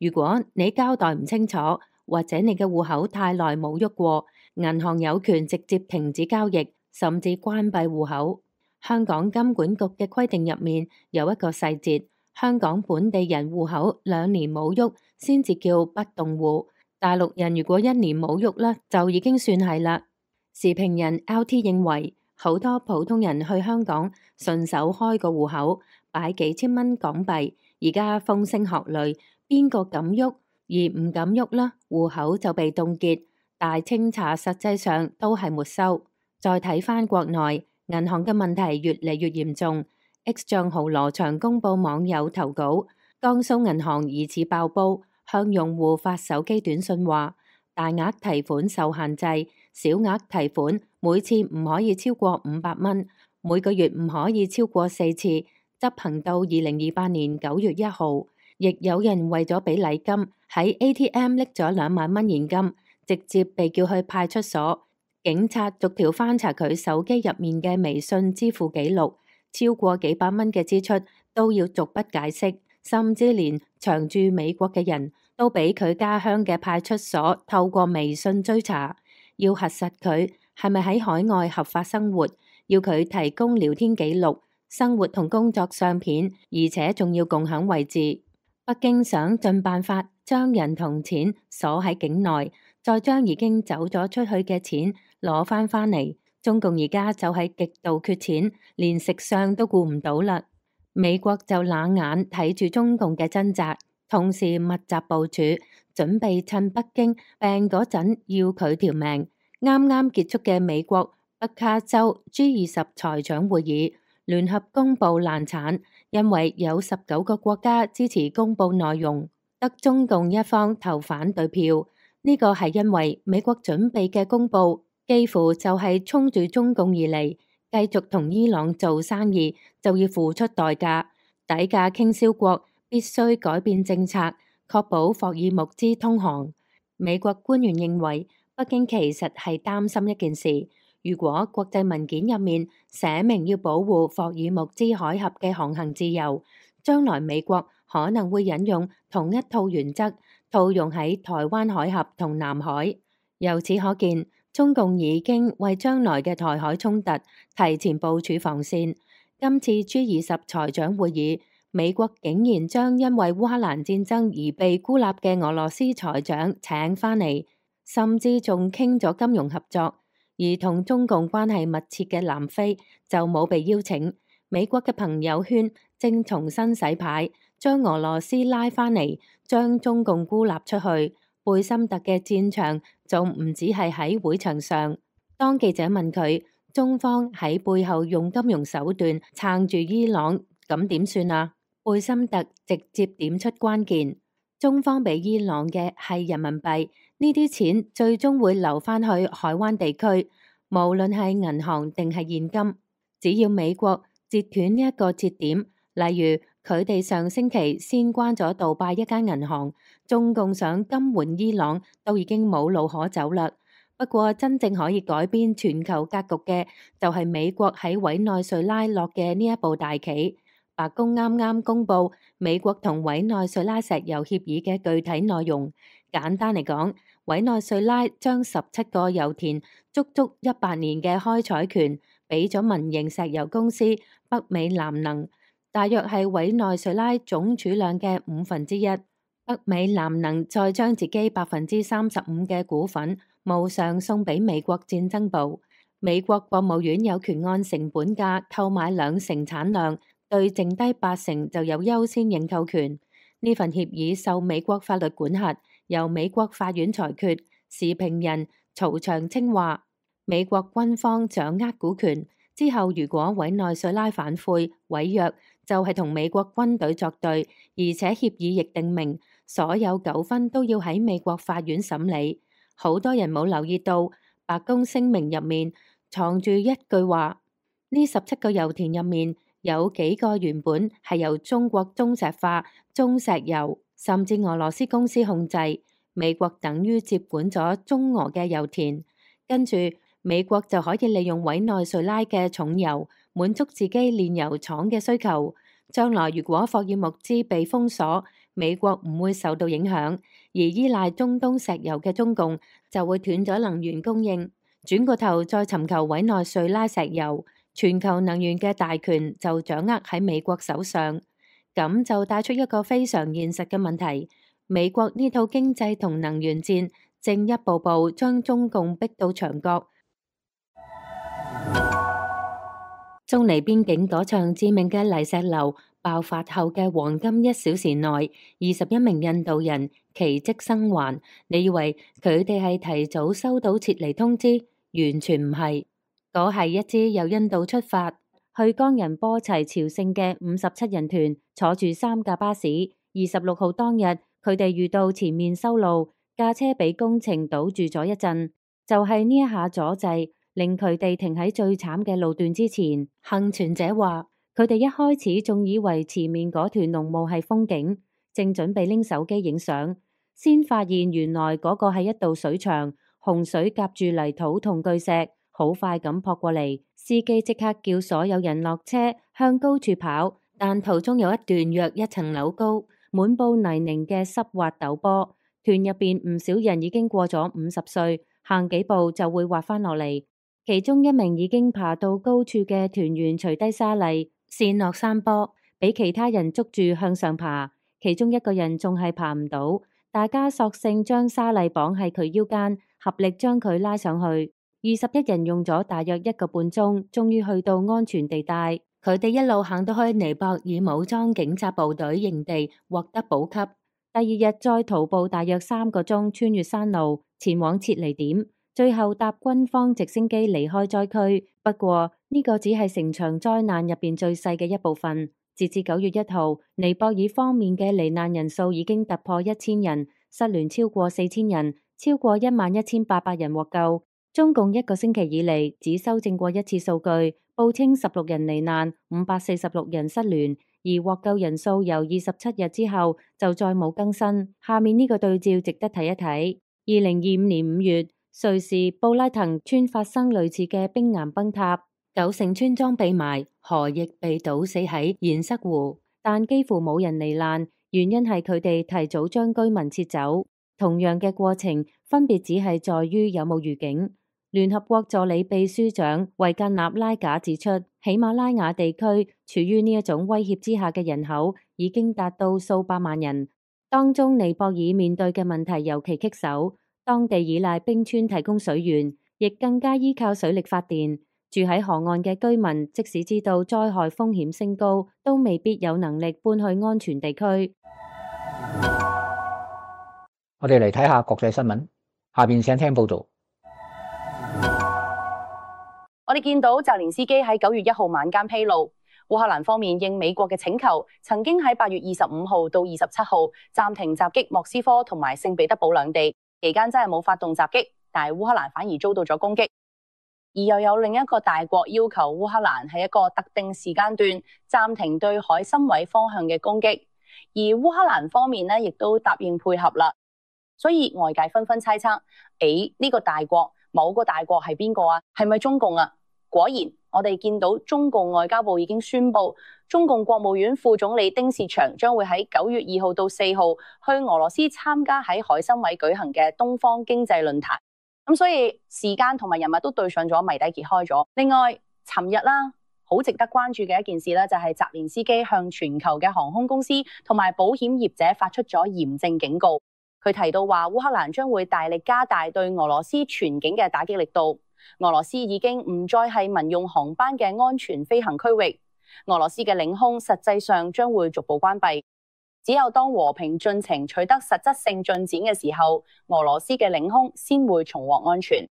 G: 如果你交代唔清楚，或者你嘅戶口太耐冇喐過，銀行有權直接停止交易，甚至關閉戶口。香港金管局嘅規定入面有一個細節，香港本地人戶口兩年冇喐先至叫不動戶，大陸人如果一年冇喐啦，就已經算係啦。時評人 L T 認為，好多普通人去香港順手開個戶口，擺幾千蚊港幣，而家風聲鶴唳，邊個敢喐而唔敢喐啦？戶口就被凍結，大清查實際上都係沒收。再睇返國內銀行嘅問題越嚟越嚴重。X 賬號羅翔公佈網友投稿，江蘇銀行疑似爆煲，向用戶發手機短信話，大額提款受限制，小額提款每次唔可以超過五百蚊，每個月唔可以超過四次，執行到二零二八年九月一號。亦有人為咗俾禮金，喺 A T M 拎咗兩萬蚊現金，直接被叫去派出所，警察逐條翻查佢手機入面嘅微信支付記錄，超過幾百蚊嘅支出都要逐筆解釋，甚至連長駐美國嘅人都俾佢家鄉嘅派出所透過微信追查，要核實佢係咪喺海外合法生活，要佢提供聊天記錄、生活同工作相片，而且仲要共享位置。北京想盡辦法將人同錢鎖喺境內，再將已經走咗出去嘅錢攞翻返嚟。中共而家就係極度缺錢，連食相都顧唔到啦。美國就冷眼睇住中共嘅掙扎，同時密集部署，準備趁北京病嗰陣要佢條命。啱啱結束嘅美國北卡州 G 二十財長會議聯合公佈難產，因為有十九個國家支持公佈內容，得中共一方投反對票。呢個係因為美國準備嘅公佈幾乎就係衝住中共而嚟，繼續同伊朗做生意就要付出代價，底價傾銷國必須改變政策，確保霍爾木茲通航。美國官員認為，北京其實係擔心一件事。如果國際文件入面寫明要保護霍爾木茲海峽嘅航行自由，將來美國可能會引用同一套原則套用喺台灣海峽同南海。由此可見，中共已經為將來嘅台海衝突提前部署防線。今次 G 二十財長會議，美國竟然將因為烏克蘭戰爭而被孤立嘅俄羅斯財長請返嚟，甚至仲傾咗金融合作。而同中共關係密切嘅南非就冇被邀請。美國嘅朋友圈正重新洗牌，將俄羅斯拉返嚟，將中共孤立出去。貝森特嘅戰場仲唔止係喺會場上。當記者問佢，中方喺背後用金融手段撐住伊朗，咁點算啊？貝森特直接點出關鍵，中方俾伊朗嘅係人民幣。呢啲錢最終會流返去海灣地區，無論係銀行定係現金，只要美國截斷呢一個節點，例如佢哋上星期先關咗杜拜一間銀行，中共想金援伊朗都已經冇路可走啦。不過真正可以改變全球格局嘅，就係美國喺委內瑞拉落嘅呢一步大棋。白宮啱啱公布美國同委內瑞拉石油協議嘅具體內容。簡單嚟講，委內瑞拉將十七個油田足足一百年嘅開採權俾咗民營石油公司北美南能，大約係委內瑞拉總儲量嘅五分之一。北美南能再將自己百分之三十五嘅股份無償送俾美國戰爭部。美國國務院有權按成本價購買兩成產量，對剩低八成就有優先認購權。呢份協議受美國法律管轄，由美國法院裁決。時評人曹長青話：美國軍方掌握股權之後，如果委內瑞拉反悔違約，就係同美國軍隊作對，而且協議亦定明所有糾紛都要喺美國法院審理。好多人冇留意到白宮聲明入面藏住一句話：呢十七個油田入面有幾個原本係由中國中石化、中石油甚至俄羅斯公司控制，美國等於接管咗中俄嘅油田，跟住美國就可以利用委內瑞拉嘅重油滿足自己煉油廠嘅需求。將來如果霍爾木茲被封鎖，美國唔會受到影響，而依賴中東石油嘅中共就會斷咗能源供應，轉個頭再尋求委內瑞拉石油，全球能源嘅大權就掌握喺美國手上。咁就帶出一個非常現實嘅問題，美國呢套經濟同能源戰正一步步將中共逼到牆角。中尼邊境嗰場致命嘅泥石流爆發後嘅黃金一小時內，二十一名印度人奇蹟生還。你以為佢哋係提早收到撤離通知？完全唔係，嗰係一支由印度出發去岡仁波齊朝聖嘅五十七人團，坐住三架巴士。二十六號當日，佢哋遇到前面修路，架車俾工程堵住咗一陣，就係呢一下阻滯，令佢哋停喺最慘嘅路段之前。幸存者話，佢哋一開始仲以為前面嗰團濃霧係風景，正準備拎手機影相，先發現原來嗰個係一道水牆，洪水夾住泥土同巨石，好快咁撲過嚟。司機即刻叫所有人落車，向高處跑，但途中有一段約一層樓高、滿布泥濘嘅濕滑陡坡，團入邊唔少人已經過咗五十歲，行幾步就會滑翻落嚟。其中一名已經爬到高處嘅團員除低沙粒，跣落山坡，俾其他人捉住向上爬。其中一個人仲係爬唔到，大家索性將沙粒綁喺佢腰間，合力將佢拉上去。二十一人用咗大約一個半鐘，終於去到安全地帶。佢哋一路行到去尼泊爾武裝警察部隊營地，獲得補給。第二日再徒步大約三個鐘，穿越山路前往撤離點，最後搭軍方直升機離開災區。不過呢個只係成場災難入邊最細嘅一部分。截至九月一號，尼泊爾方面嘅罹難人數已經突破一千人，失聯超過四千人，超過一萬一千八百人獲救。中共一個星期以嚟只修正過一次數據，報稱十六人罹難，五百四十六人失聯，而獲救人數由二十七日之後就再冇更新。下面呢個對照值得睇一睇。二零二五年五月，瑞士布拉滕村發生類似嘅冰岩崩塌，九成村莊被埋，河亦被倒死喺堰塞湖，但幾乎冇人罹難，原因係佢哋提早將居民撤走。同樣嘅過程，分別只係在於有冇預警。聯合國助理秘書長維格納拉賈指出，喜馬拉雅地區處於呢一種威脅之下嘅人口已經達到數百萬人，當中尼泊爾面對嘅問題尤其棘手，當地依賴冰川提供水源，亦更加依靠水力發電。住喺河岸嘅居民，即使知道災害風險升高，都未必有能力搬去安全地區。
C: 我哋嚟睇下國際新聞，下邊請聽報道。
H: 我哋見到澤連斯基喺九月一號晚間披露，烏克蘭方面應美國嘅請求，曾經喺八月二十五號到二十七號暫停襲擊莫斯科同埋聖彼得堡兩地，期間真係冇發動襲擊，但係烏克蘭反而遭到咗攻擊。而又有另一個大國要求烏克蘭喺一個特定時間段暫停對海參崴方向嘅攻擊，而烏克蘭方面呢亦都答應配合啦。所以外界紛紛猜測，誒呢個大國某個大國係邊個啊？係咪中共啊？果然，我哋見到中共外交部已經宣布，中共國務院副總理丁薛祥將會喺九月二號到四號去俄羅斯參加喺海參崴舉行嘅東方經濟論壇。咁所以時間同埋人物都對上咗，謎底揭開咗。另外，尋日啦，好值得關注嘅一件事咧，就係澤連斯基向全球嘅航空公司同埋保險業者發出咗嚴正警告。佢提到話，烏克蘭將會大力加大對俄羅斯全境嘅打擊力度。俄羅斯已經唔再係民用航班嘅安全飛行區域，俄羅斯嘅領空實際上將會逐步關閉。只有當和平進程取得實質性進展嘅時候，俄羅斯嘅領空先會重獲安全。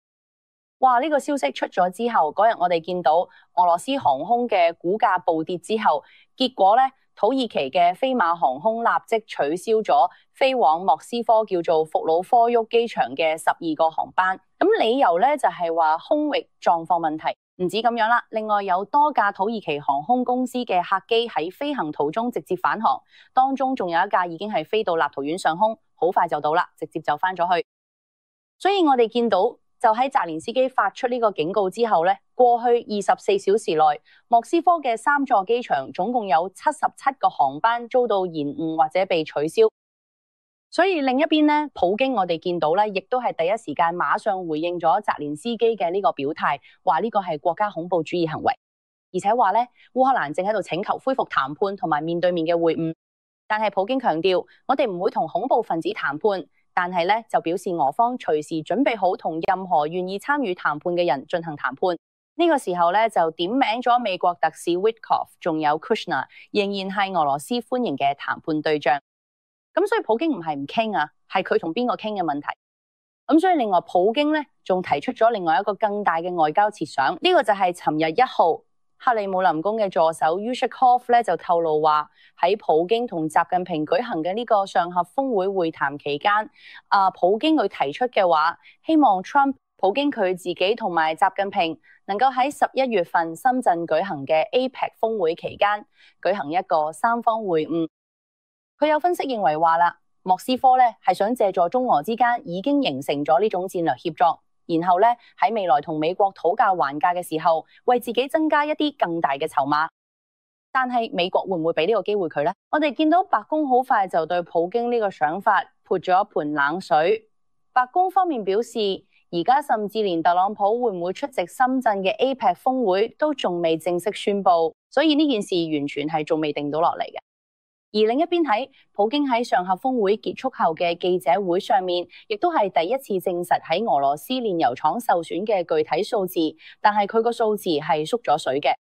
H: 哇！呢個消息出咗之後，嗰日我哋見到俄羅斯航空嘅股價暴跌之後，結果咧，土耳其嘅飛馬航空立即取消咗飛往莫斯科叫做伏魯科沃機場嘅十二個航班。咁理由咧就係話空域狀況問題。唔止咁樣啦，另外有多架土耳其航空公司嘅客機喺飛行途中直接返航，當中仲有一架已經係飛到立陶宛上空，好快就到啦，直接就翻咗去。所以我哋見到就喺澤連斯基發出呢個警告之後咧，過去二十四小時內，莫斯科嘅三座機場總共有七十七個航班遭到延誤或者被取消。所以另一邊咧，普京我哋見到咧，亦都係第一時間馬上回應咗澤連斯基嘅呢個表態，話呢個係國家恐怖主義行為，而且話咧烏克蘭正喺度請求恢復談判同埋面對面嘅會晤。但係普京強調，我哋唔會同恐怖分子談判，但係咧就表示俄方隨時準備好同任何願意參與談判嘅人進行談判。呢個時候咧就點名咗美國特使 Witkoff， 仲有 Kushner， 仍然係俄羅斯歡迎嘅談判對象。咁所以普京唔係唔傾啊，係佢同邊個傾嘅問題。咁所以另外普京咧仲提出咗另外一個更大嘅外交設想，呢、這個就係尋日一號克里姆林宮嘅助手 Yushkov 咧就透露話，喺普京同習近平舉行嘅呢個上合峰會會談期間，啊普京佢提出嘅話，希望 Trump 普京佢自己同埋習近平能夠喺十一月份深圳舉行嘅 A P E C 峰會期間舉行一個三方會晤。佢有分析認為話啦，莫斯科咧係想借助中俄之間已經形成咗呢種戰略協作，然後咧喺未來同美國討價還價嘅時候，為自己增加一啲更大嘅籌碼。但係美國會唔會俾呢個機會佢呢？我哋見到白宮好快就對普京呢個想法潑咗一盆冷水。白宮方面表示，而家甚至連特朗普會唔會出席深圳嘅 A P E C 峰會都仲未正式宣布，所以呢件事完全係仲未定到落嚟嘅。而另一邊睇，普京喺上合峰會結束後嘅記者會上面，亦都係第一次證實喺俄羅斯煉油廠受損嘅具體數字，但係佢個數字係縮咗水嘅。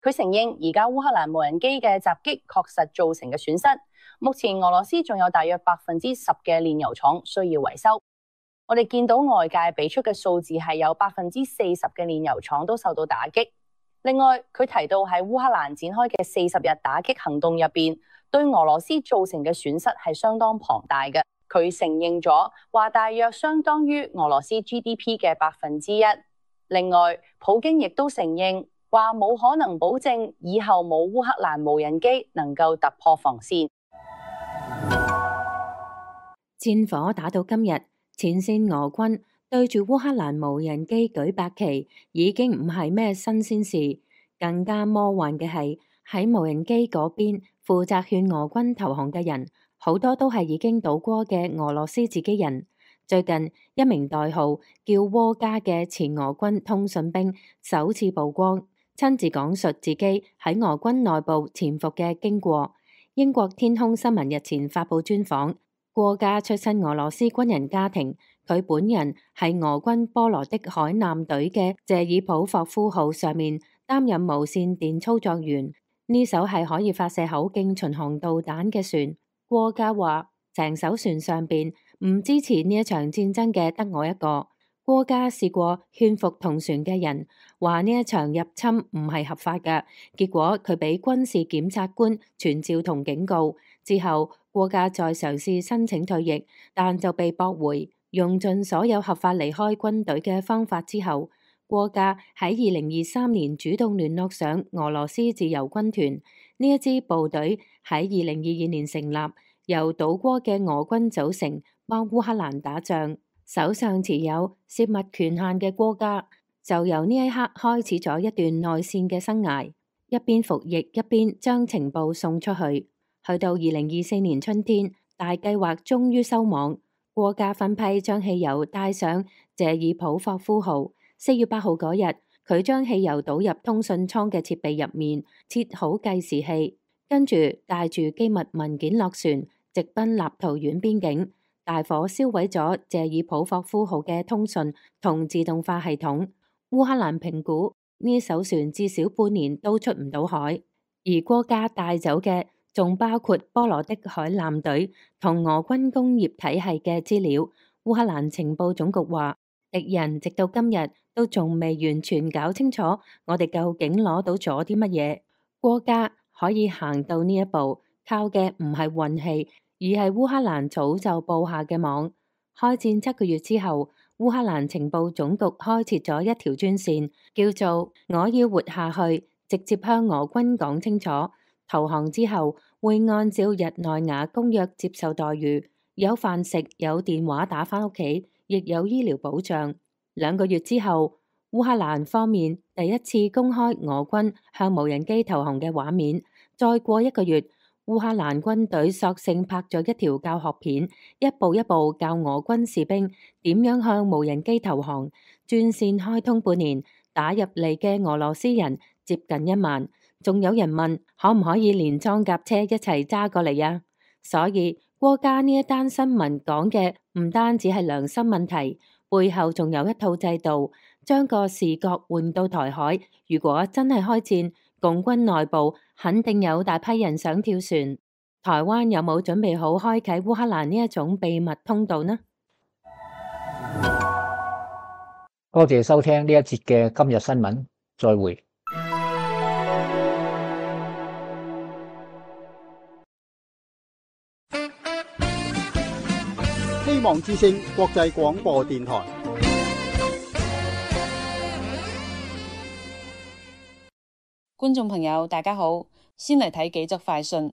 H: 佢承認而家烏克蘭無人機嘅襲擊確實造成嘅損失，目前俄羅斯仲有大約百分之十嘅煉油廠需要維修。我哋見到外界俾出嘅數字係有百分之四十嘅煉油廠都受到打擊。另外，佢提到喺烏克蘭展開嘅四十日打擊行動入邊，對俄羅斯造成嘅損失係相當龐大嘅。佢承認咗話大約相當於俄羅斯 G D P 嘅百分之一。另外，普京亦都承認話冇可能保證以後冇烏克蘭無人機能夠突破防線。
G: 戰火打到今日，前線俄軍對住烏克蘭無人機舉白旗已經唔係咩新鮮事，更加魔幻嘅係喺無人機嗰邊負責勸俄軍投降嘅人，好多都係已經倒戈嘅俄羅斯自己人。最近一名代號叫窩加嘅前俄軍通訊兵首次曝光，親自講述自己喺俄軍內部潛伏嘅經過。英國天空新聞日前發佈專訪，窩加出身俄羅斯軍人家庭。佢本人係俄軍波羅的海艦隊嘅謝爾普霍夫號上面擔任無線電操作員，呢艘係可以發射口徑巡航導彈嘅船。窩加話：成艘船上邊唔支持呢一場戰爭嘅得我一個。窩加試過勸服同船嘅人，話呢一場入侵唔係合法嘅，結果佢俾軍事檢察官傳召同警告。之後窩加再嘗試申請退役，但就被駁回。用盡所有合法離開軍隊嘅方法之後，國家喺二零二三年主動聯絡上俄羅斯自由軍團，呢一支部隊喺二零二二年成立，由島國嘅俄軍組成，幫烏克蘭打仗。手上持有竊密權限嘅國家，就由呢一刻開始咗一段內戰嘅生涯，一邊服役一邊將情報送出去。去到二零二四年春天，大計劃終於收網，國家分批將汽油帶上謝爾普霍夫號。四月八號嗰日，佢將汽油倒入通訊艙嘅設備入面，設好計時器，跟住帶住機密文件落船，直奔立陶宛邊境。大火燒毀咗謝爾普霍夫號嘅通訊同自動化系統。烏克蘭評估呢艘船至少半年都出唔到海，而國家帶走嘅仲包括波羅的海艦隊同俄軍工業體系嘅資料。烏克蘭情報總局話，敵人直到今日都仲未完全搞清楚我哋究竟攞到咗啲乜嘢。國家可以行到呢一步，靠嘅唔係運氣，而係烏克蘭早就布下嘅網。開戰七個月之後，烏克蘭情報總局開設咗一條專線，叫做我要活下去，直接向俄軍講清楚，投降之後會按照日內瓦公約接受待遇，有飯食，有電話打返屋企，亦有醫療保障。兩個月之後，烏克蘭方面第一次公開俄軍向無人機投降嘅畫面。再過一個月，烏克蘭軍隊索性拍咗一條教學片，一步一步教俄軍士兵點樣向無人機投降。專線開通半年，打入嚟嘅俄羅斯人接近一萬，仲有人問可唔可以連裝甲車一齊揸過嚟啊？所以國家呢一單新聞講嘅唔單止係良心問題，背後仲有一套制度，將個視角換到台海。如果真係開戰，共軍內部肯定有大批人想跳船。台灣有冇準備好開啟烏克蘭呢一種秘密通道呢？
C: 多謝收聽呢一節嘅今日新聞，再會。
I: 希望之聲國際廣播電台。
J: 觀眾朋友，大家好，先嚟睇幾則快訊。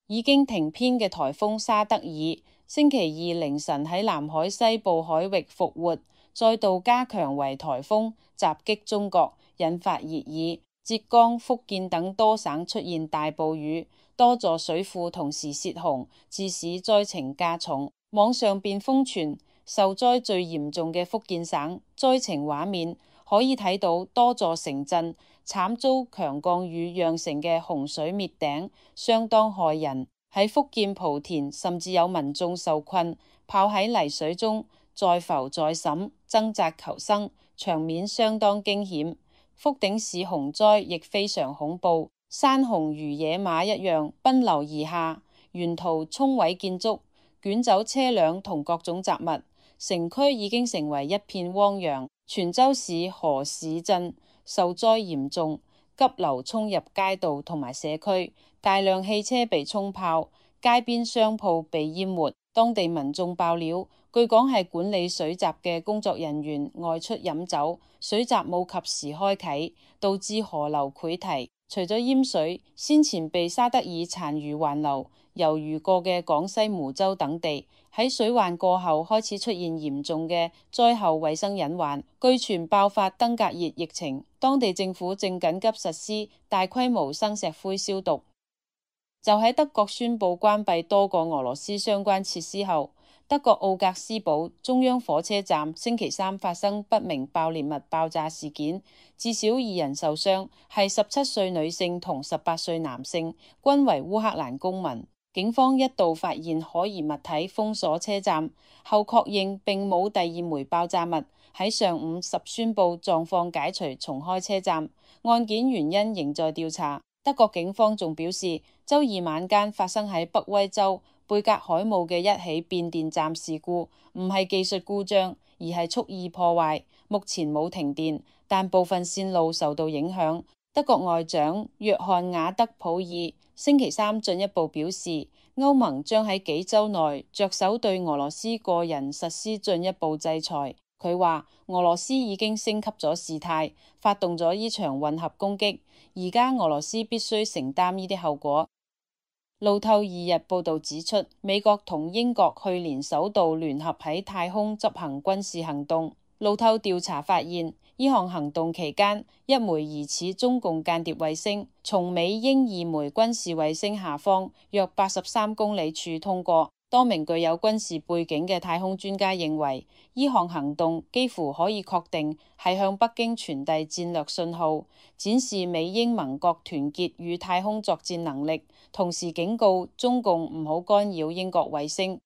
J: 已經停編嘅颱風沙德爾，星期二凌晨喺南海西部海域復活，再度加強為颱風，襲擊中國，引發熱議。浙江、福建等多省出現大暴雨，多座水庫同時泄洪，致使災情加重。網上便瘋傳受災最嚴重嘅福建省災情畫面。可以睇到多座城鎮慘遭強降雨釀成嘅洪水滅頂，相當駭人。喺福建莆田，甚至有民眾受困，泡喺泥水中，再浮再沈，掙扎求生，場面相當驚險。福鼎市洪災亦非常恐怖，山洪如野馬一樣奔流而下，沿途沖毀建築，捲走車輛同各種雜物，城區已經成為一片汪洋。泉州市河市鎮受災嚴重，急流沖入街道同埋社區，大量汽車被沖泡，街邊商鋪被淹沒。當地民眾爆料，據講係管理水閘嘅工作人員外出飲酒，水閘冇及時開啟，導致河流潰堤。除咗淹水，先前被沙德爾殘餘環流猶豫過嘅廣西梧州等地，喺水患過後開始出現嚴重嘅災後衛生隱患，據傳爆發登革熱疫情，當地政府正緊急實施大規模生石灰消毒。就喺德國宣布關閉多個俄羅斯相關設施後，德國奧格斯堡中央火車站星期三發生不明爆裂物爆炸事件，至少二人受傷，係十七歲女性同十八歲男性，均為烏克蘭公民。警方一度發現可疑物體，封鎖車站，後確認並冇第二枚爆炸物。喺上午十宣布狀況解除，重開車站。案件原因仍在調查。德國警方仲表示，周二晚間發生喺北威州貝格海姆嘅一起變電站事故，唔係技術故障，而係蓄意破壞。目前冇停電，但部分線路受到影響。德國外長約翰瓦德普爾星期三進一步表示，歐盟將喺幾週內着手對俄羅斯個人實施進一步制裁。佢話俄羅斯已經升級咗事態，發動咗呢場混合攻擊，而家俄羅斯必須承擔呢啲後果。路透二日報導指出，美國同英國去年首度聯合喺太空執行軍事行動。路透調查發現，呢項行動期間，一枚疑似中共間諜衛星從美英二枚軍事衛星下方約八十三公里處通過。多名具有軍事背景嘅太空專家認為，呢項行動幾乎可以確定係向北京傳遞戰略信號，展示美英盟國團結與太空作戰能力，同時警告中共唔好干擾英國衛星。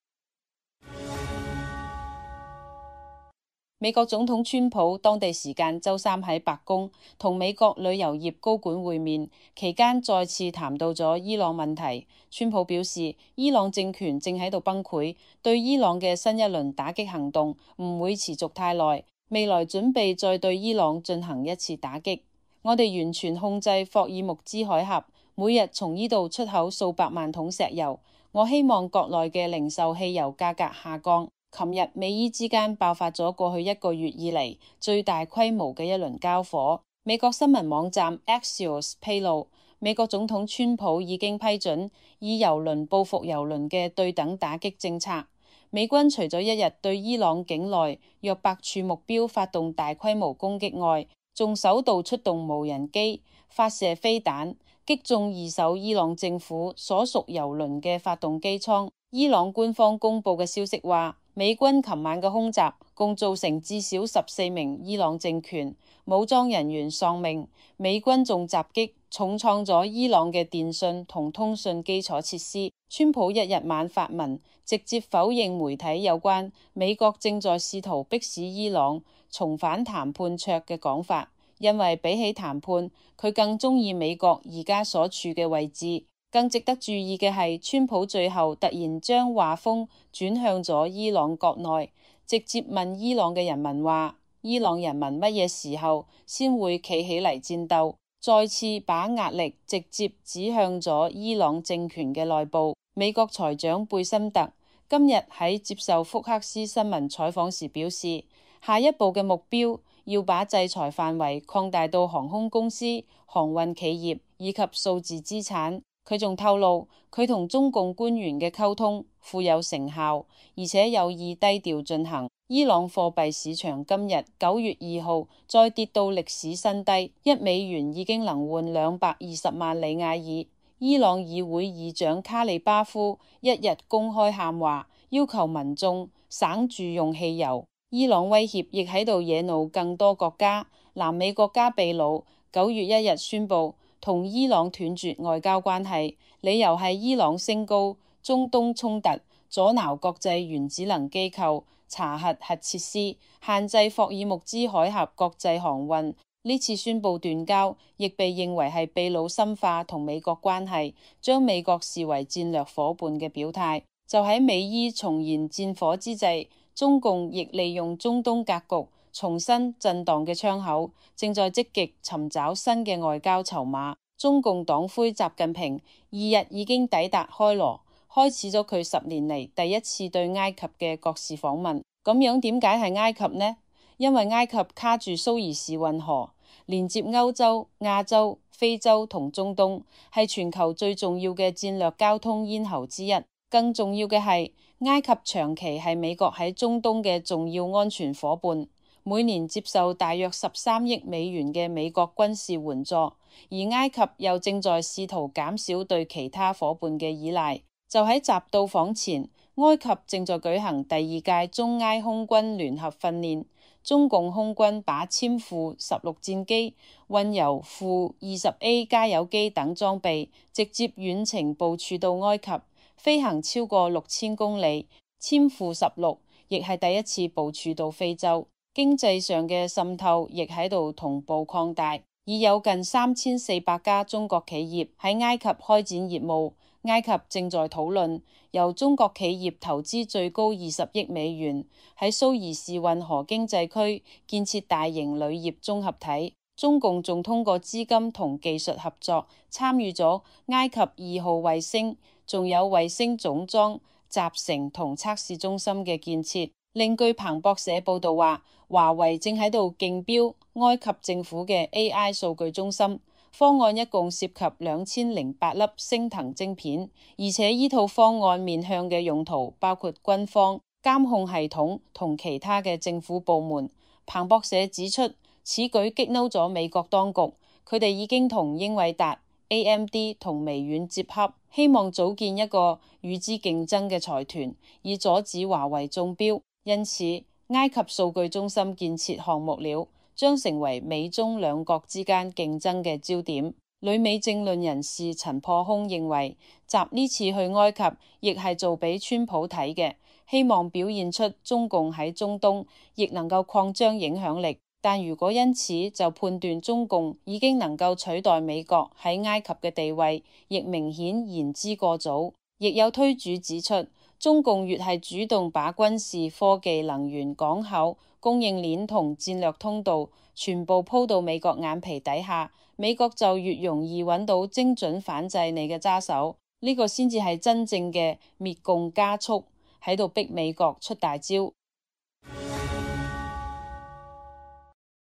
J: 美國總統川普當地時間周三喺白宮同美國旅遊業高管會面，期間再次談到咗伊朗問題。川普表示，伊朗政權正喺度崩潰，對伊朗嘅新一輪打擊行動唔會持續太耐，未來準備再對伊朗進行一次打擊。我哋完全控制霍爾木茲海峽，每日從呢度出口數百萬桶石油。我希望國內嘅零售汽油價格下降。琴日美伊之間爆發咗過去一個月以嚟最大規模嘅一輪交火。美國新聞網站 Axios 披露，美國總統川普已經批准以油輪報復油輪嘅對等打擊政策。美軍除咗一日對伊朗境內約百處目標發動大規模攻擊外，仲首度出動無人機發射飛彈，擊中二艘伊朗政府所屬油輪嘅發動機艙。伊朗官方公布嘅消息話，美軍琴晚嘅空襲共造成至少十四名伊朗政權武裝人員喪命，美軍仲襲擊重創咗伊朗嘅電信同通訊基礎設施。川普一日晚發文，直接否認媒體有關美國正在試圖迫使伊朗重返談判桌嘅講法，因為比起談判，佢更鍾意美國而家所處嘅位置。更值得注意嘅係，川普最後突然將話鋒轉向咗伊朗國內，直接問伊朗嘅人民話：伊朗人民乜嘢時候先會企起嚟戰鬥？再次把壓力直接指向咗伊朗政權嘅內部。美國財長貝森特今日喺接受福克斯新聞採訪時表示，下一步嘅目標要把制裁範圍擴大到航空公司、航運企業以及數字資產。佢仲透露，佢同中共官員嘅溝通富有成效，而且有意低調進行。伊朗貨幣市場今日九月二號再跌到歷史新低，一美元已經能換兩百二十萬里亞爾。伊朗議會議長卡利巴夫一日公開喊話，要求民眾省住用汽油。伊朗威脅亦喺度惹怒更多國家。南美國家秘魯九月一日宣布同伊朗斷絕外交關係，理由係伊朗升高中東衝突，阻撓國際原子能機構查核核設施，限制霍爾木茲海峽國際航運。呢次宣布斷交，亦被認為係秘魯深化同美國關係，將美國視為戰略夥伴嘅表態。就喺美伊重燃戰火之際，中共亦利用中東格局重新震盪嘅窗口，正在積極尋找新嘅外交籌碼。中共黨魁習近平二日已經抵達開羅，開始咗佢十年嚟第一次對埃及嘅國事訪問。咁樣點解係埃及呢？因為埃及卡住蘇伊士運河，連接歐洲、亞洲、非洲同中東，係全球最重要嘅戰略交通咽喉之一。更重要嘅係，埃及長期係美國喺中東嘅重要安全夥伴，每年接受大約十三億美元嘅美國軍事援助，而埃及又正在試圖減少對其他夥伴嘅依賴。就喺習到訪前，埃及正在舉行第二屆中埃空軍聯合訓練，中共空軍把殲負十六戰機、運油負二十 A 加油機等裝備直接遠程部署到埃及，飛行超過六千公里。殲負十六亦係第一次部署到非洲。經濟上嘅滲透亦喺度同步擴大，已有近三千四百家中國企業喺埃及開展業務。埃及正在討論由中國企業投資最高二十億美元喺蘇伊士運河經濟區建設大型鋁業綜合體。中共仲通過資金同技術合作，參與咗埃及二號衛星，仲有衛星總裝、集成同測試中心嘅建設。另據彭博社報道話，華為正喺度競標埃及政府嘅 A I 數據中心，方案一共涉及兩千零八粒星騰晶片，而且呢套方案面向嘅用途包括軍方、監控系統同其他嘅政府部門。彭博社指出，此舉激嬲咗美國當局，佢哋已經同英偉達、A M D 同微軟接洽，希望組建一個與之競爭嘅財團，以阻止華為中標。因此，埃及數據中心建設項目了將成為美中兩國之間競爭嘅焦點。旅美政論人士陳破空認為，習呢次去埃及亦係做俾川普睇嘅，希望表現出中共喺中東亦能夠擴張影響力。但如果因此就判斷中共已經能夠取代美國喺埃及嘅地位，亦明顯言之過早。亦有推主指出，中共越係主動把軍事、科技、能源、港口、供應鏈同戰略通道全部鋪到美國眼皮底下，美國就越容易揾到精準反制你嘅揸手。呢、這個先至係真正嘅滅共加速，喺度逼美國出大招。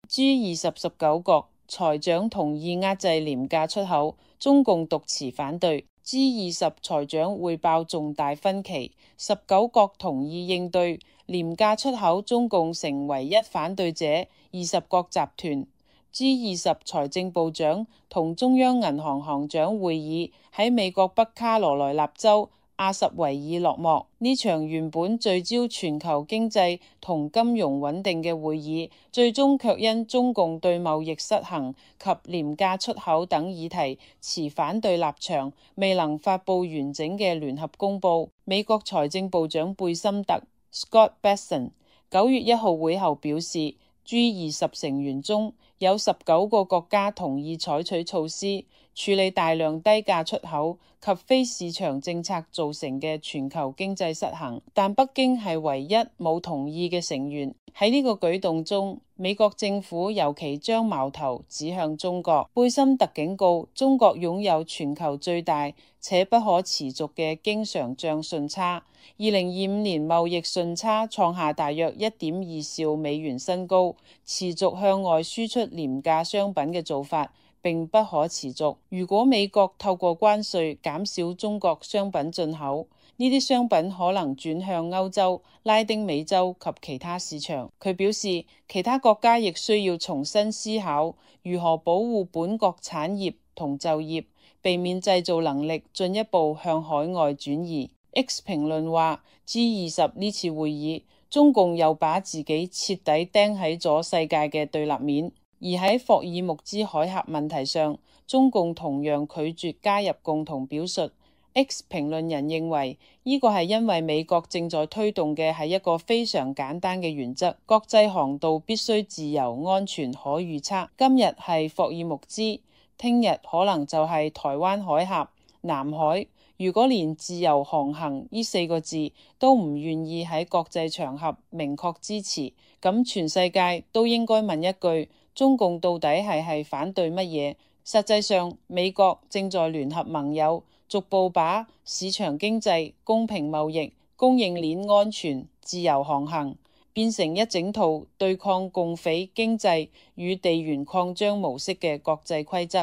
J: G 二十十九國財長同意壓制廉價出口，中共獨持反對。G 二十財長匯報重大分歧，十九國同意應對廉價出口，中共成唯一反對者。二十國集團 G 二十財政部長同中央銀行行長會議喺美國北卡羅來納州阿什維爾落幕。呢場原本聚焦全球經濟同金融穩定嘅會議，最終卻因中共對貿易失衡及廉價出口等議題持反對立場，未能發布完整嘅聯合公報。美國財政部長貝森特 Scott Bessent 九月一號會後表示， G 二十成員中有十九個國家同意採取措施處理大量低價出口及非市場政策造成嘅全球經濟失衡，但北京係唯一冇同意嘅成員。喺呢個舉動中，美國政府尤其將矛頭指向中國。貝森特警告，中國擁有全球最大且不可持續嘅經常帳順差，二零二五年貿易順差創下大約一點二兆美元新高，持續向外輸出廉價商品嘅做法並不可持續。如果美國透過關稅減少中國商品進口，呢啲商品可能轉向歐洲、拉丁美洲及其他市場。佢表示，其他國家亦需要重新思考如何保護本國產業同就業，避免製造能力進一步向海外轉移。X 評論話 G 二十呢次會議，中共又把自己徹底釘喺咗世界嘅對立面。而喺霍爾木茲海峽問題上，中共同樣拒絕加入共同表述。X 評論人認為，呢個係因為美國正在推動嘅係一個非常簡單嘅原則：國際航道必須自由、安全、可預測。今日係霍爾木茲，聽日可能就係台灣海峽、南海。如果連自由航行呢四個字都唔願意喺國際場合明確支持，咁全世界都應該問一句：中共到底係係反對乜嘢？實際上，美國正在聯合盟友，逐步把市場經濟、公平貿易、供應鏈安全、自由航行變成一整套對抗共匪經濟與地緣擴張模式嘅國際規則。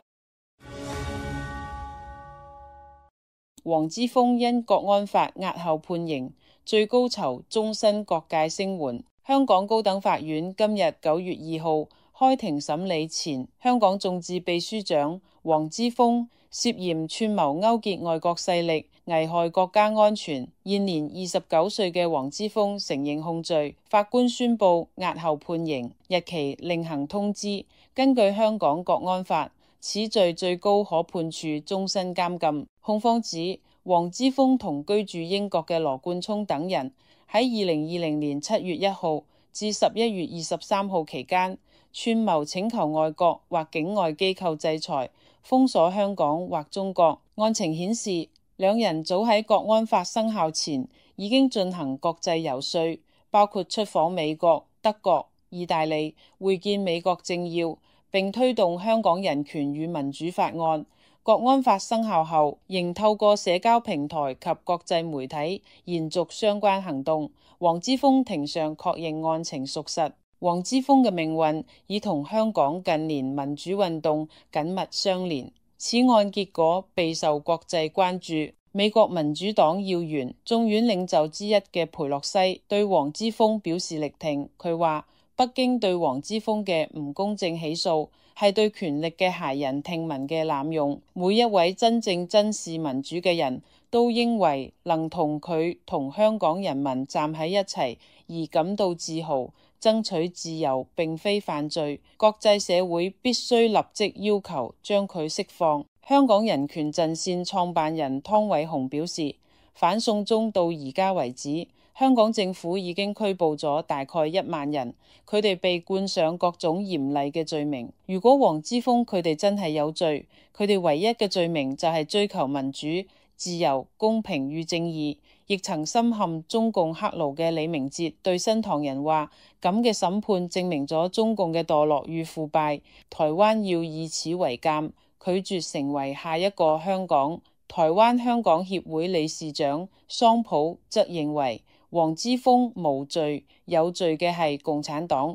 J: 黃之鋒因國安法押後判刑，最高囚終身各界聲援。香港高等法院今日九月二號開庭審理前香港眾志秘書長黃之鋒涉嫌串謀勾結外國勢力，危害國家安全。現年二十九歲嘅黃之鋒承認控罪，法官宣布押後判刑，日期另行通知。根據香港國安法，此罪最高可判處終身監禁。控方指黃之鋒同居住英國嘅羅冠聰等人喺二零二零年七月一號至十一月二十三號期間，串謀請求外國或境外機構制裁、封鎖香港或中國。案情顯示，兩人早喺國安法生效前已經進行國際遊說，包括出訪美國、德國、意大利，會見美國政要，並推動香港人權與民主法案。國安法生效後，仍透過社交平台及國際媒體延續相關行動。黃之鋒庭上確認案情屬實。黃之鋒嘅命運已同香港近年民主運動緊密相連。此案結果備受國際關注。美國民主黨要員、眾院領袖之一嘅裴洛西對黃之鋒表示力挺。佢話：北京對黃之鋒嘅唔公正起訴係對權力嘅駭人聽聞嘅濫用。每一位真正珍視民主嘅人都認為能同佢同香港人民站喺一齊而感到自豪。爭取自由並非犯罪，國際社會必須立即要求將佢釋放。香港人權陣線創辦人湯偉雄表示，反送中到而家為止，香港政府已經拘捕咗大概一萬人，佢哋被冠上各種嚴厲嘅罪名。如果黃之鋒佢哋真係有罪，佢哋唯一嘅罪名就係追求民主、自由、公平與正義。亦曾深陷中共黑牢嘅李明哲對新唐人話：咁嘅審判證明咗中共嘅墮落與腐敗，台灣要以此為鑑，拒絕成為下一個香港。台灣香港協會理事長桑普則認為黃之鋒無罪，有罪嘅係共產黨。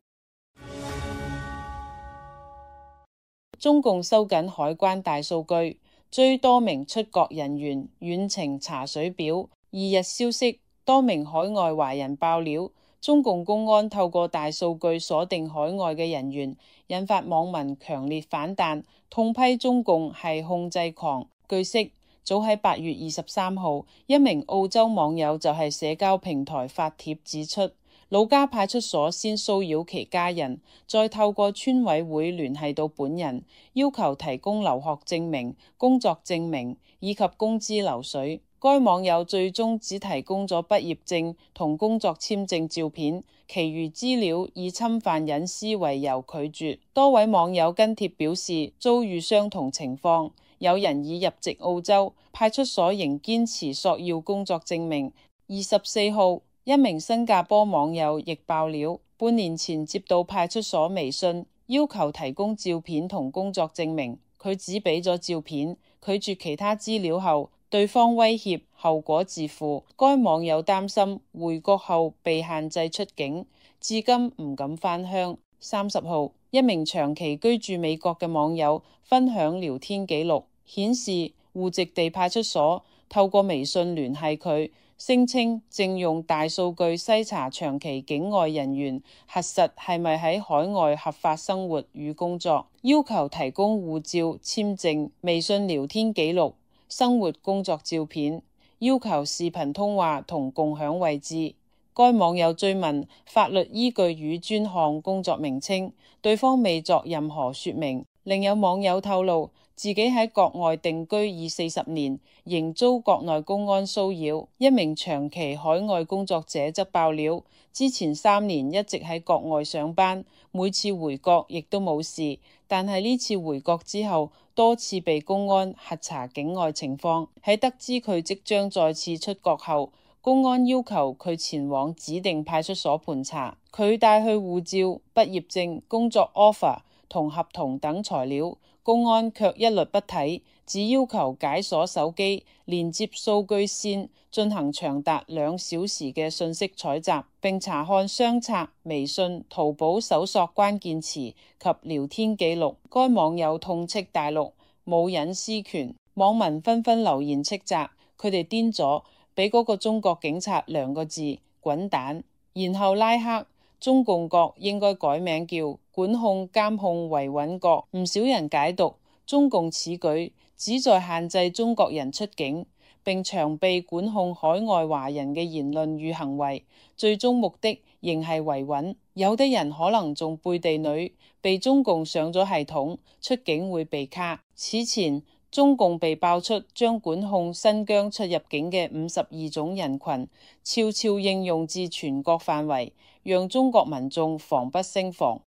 J: 中共收緊海關大數據，追多名出國人員遠程查水表。二日消息，多名海外華人爆料，中共公安透過大數據鎖定海外嘅人員，引發網民強烈反彈，痛批中共係控制狂。據悉，早喺八月二十三號，一名澳洲網友就係社交平台發帖指出，老家派出所先騷擾其家人，再透過村委會聯繫到本人，要求提供留學證明、工作證明以及工資流水。該網友最終只提供咗畢業證同工作簽證照片，其餘資料以侵犯隱私為由拒絕。多位網友跟帖表示遭遇相同情況，有人已入籍澳洲，派出所仍堅持索要工作證明。二十四號，一名新加坡網友亦爆料，半年前接到派出所微信，要求提供照片同工作證明，佢只俾咗照片，拒絕其他資料後，對方威脅後果自負。該網友擔心回國後被限制出境，至今唔敢返鄉。三十號，一名長期居住美國嘅網友分享聊天記錄，顯示戶籍地派出所透過微信聯繫佢，聲稱正用大數據篩查長期境外人員，核實係咪喺海外合法生活與工作，要求提供護照、簽證、微信聊天記錄、生活工作照片，要求視頻通話同共享位置。該網友追問法律依據與專項工作名稱，對方未作任何說明。另有網友透露，自己喺國外定居已四十年，仍遭國內公安騷擾。一名長期海外工作者則爆料，之前三年一直喺國外上班，每次回國亦都冇事，但係呢次回國之後，多次被公安核查境外情況。喺得知佢即將再次出國後，公安要求佢前往指定派出所盤查，佢帶去護照、畢業證、工作 offer 同合同等材料，公安卻一律不睇，只要求解鎖手機，連接數據線，進行長達兩小時嘅信息採集，並查看相冊、微信、淘寶搜索關鍵詞及聊天記錄。該網友痛斥大陸冇隱私權，網民紛紛留言斥責佢哋癲咗，俾嗰個中國警察兩個字滾蛋，然後拉黑。中共國應該改名叫管控監控維穩國。唔少人解讀中共此舉旨在限制中國人出境，並長臂管控海外華人嘅言論與行為，最終目的仍係維穩。有的人可能仲背地裏被中共上咗系統，出境會被卡。此前中共被爆出將管控新疆出入境嘅五十二種人群悄悄應用至全國範圍，讓中國民眾防不勝防。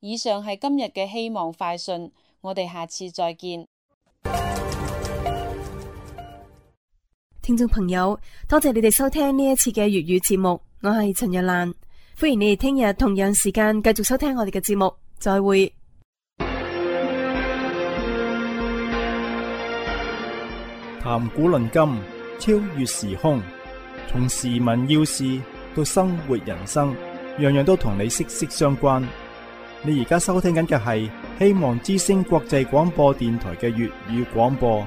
J: 以上係今日嘅希望快訊，我哋下次再見。
B: 聽眾朋友，多謝你哋收聽呢一次嘅粵語節目，我係陳若蘭，歡迎你哋聽日同樣時間繼續收聽我哋嘅節目，再會。
A: 談古論今，超越時空，從時聞要事到生活人生，樣樣都同你息息相關。你而家收聽緊嘅係希望之聲國際廣播電台嘅粵語廣播。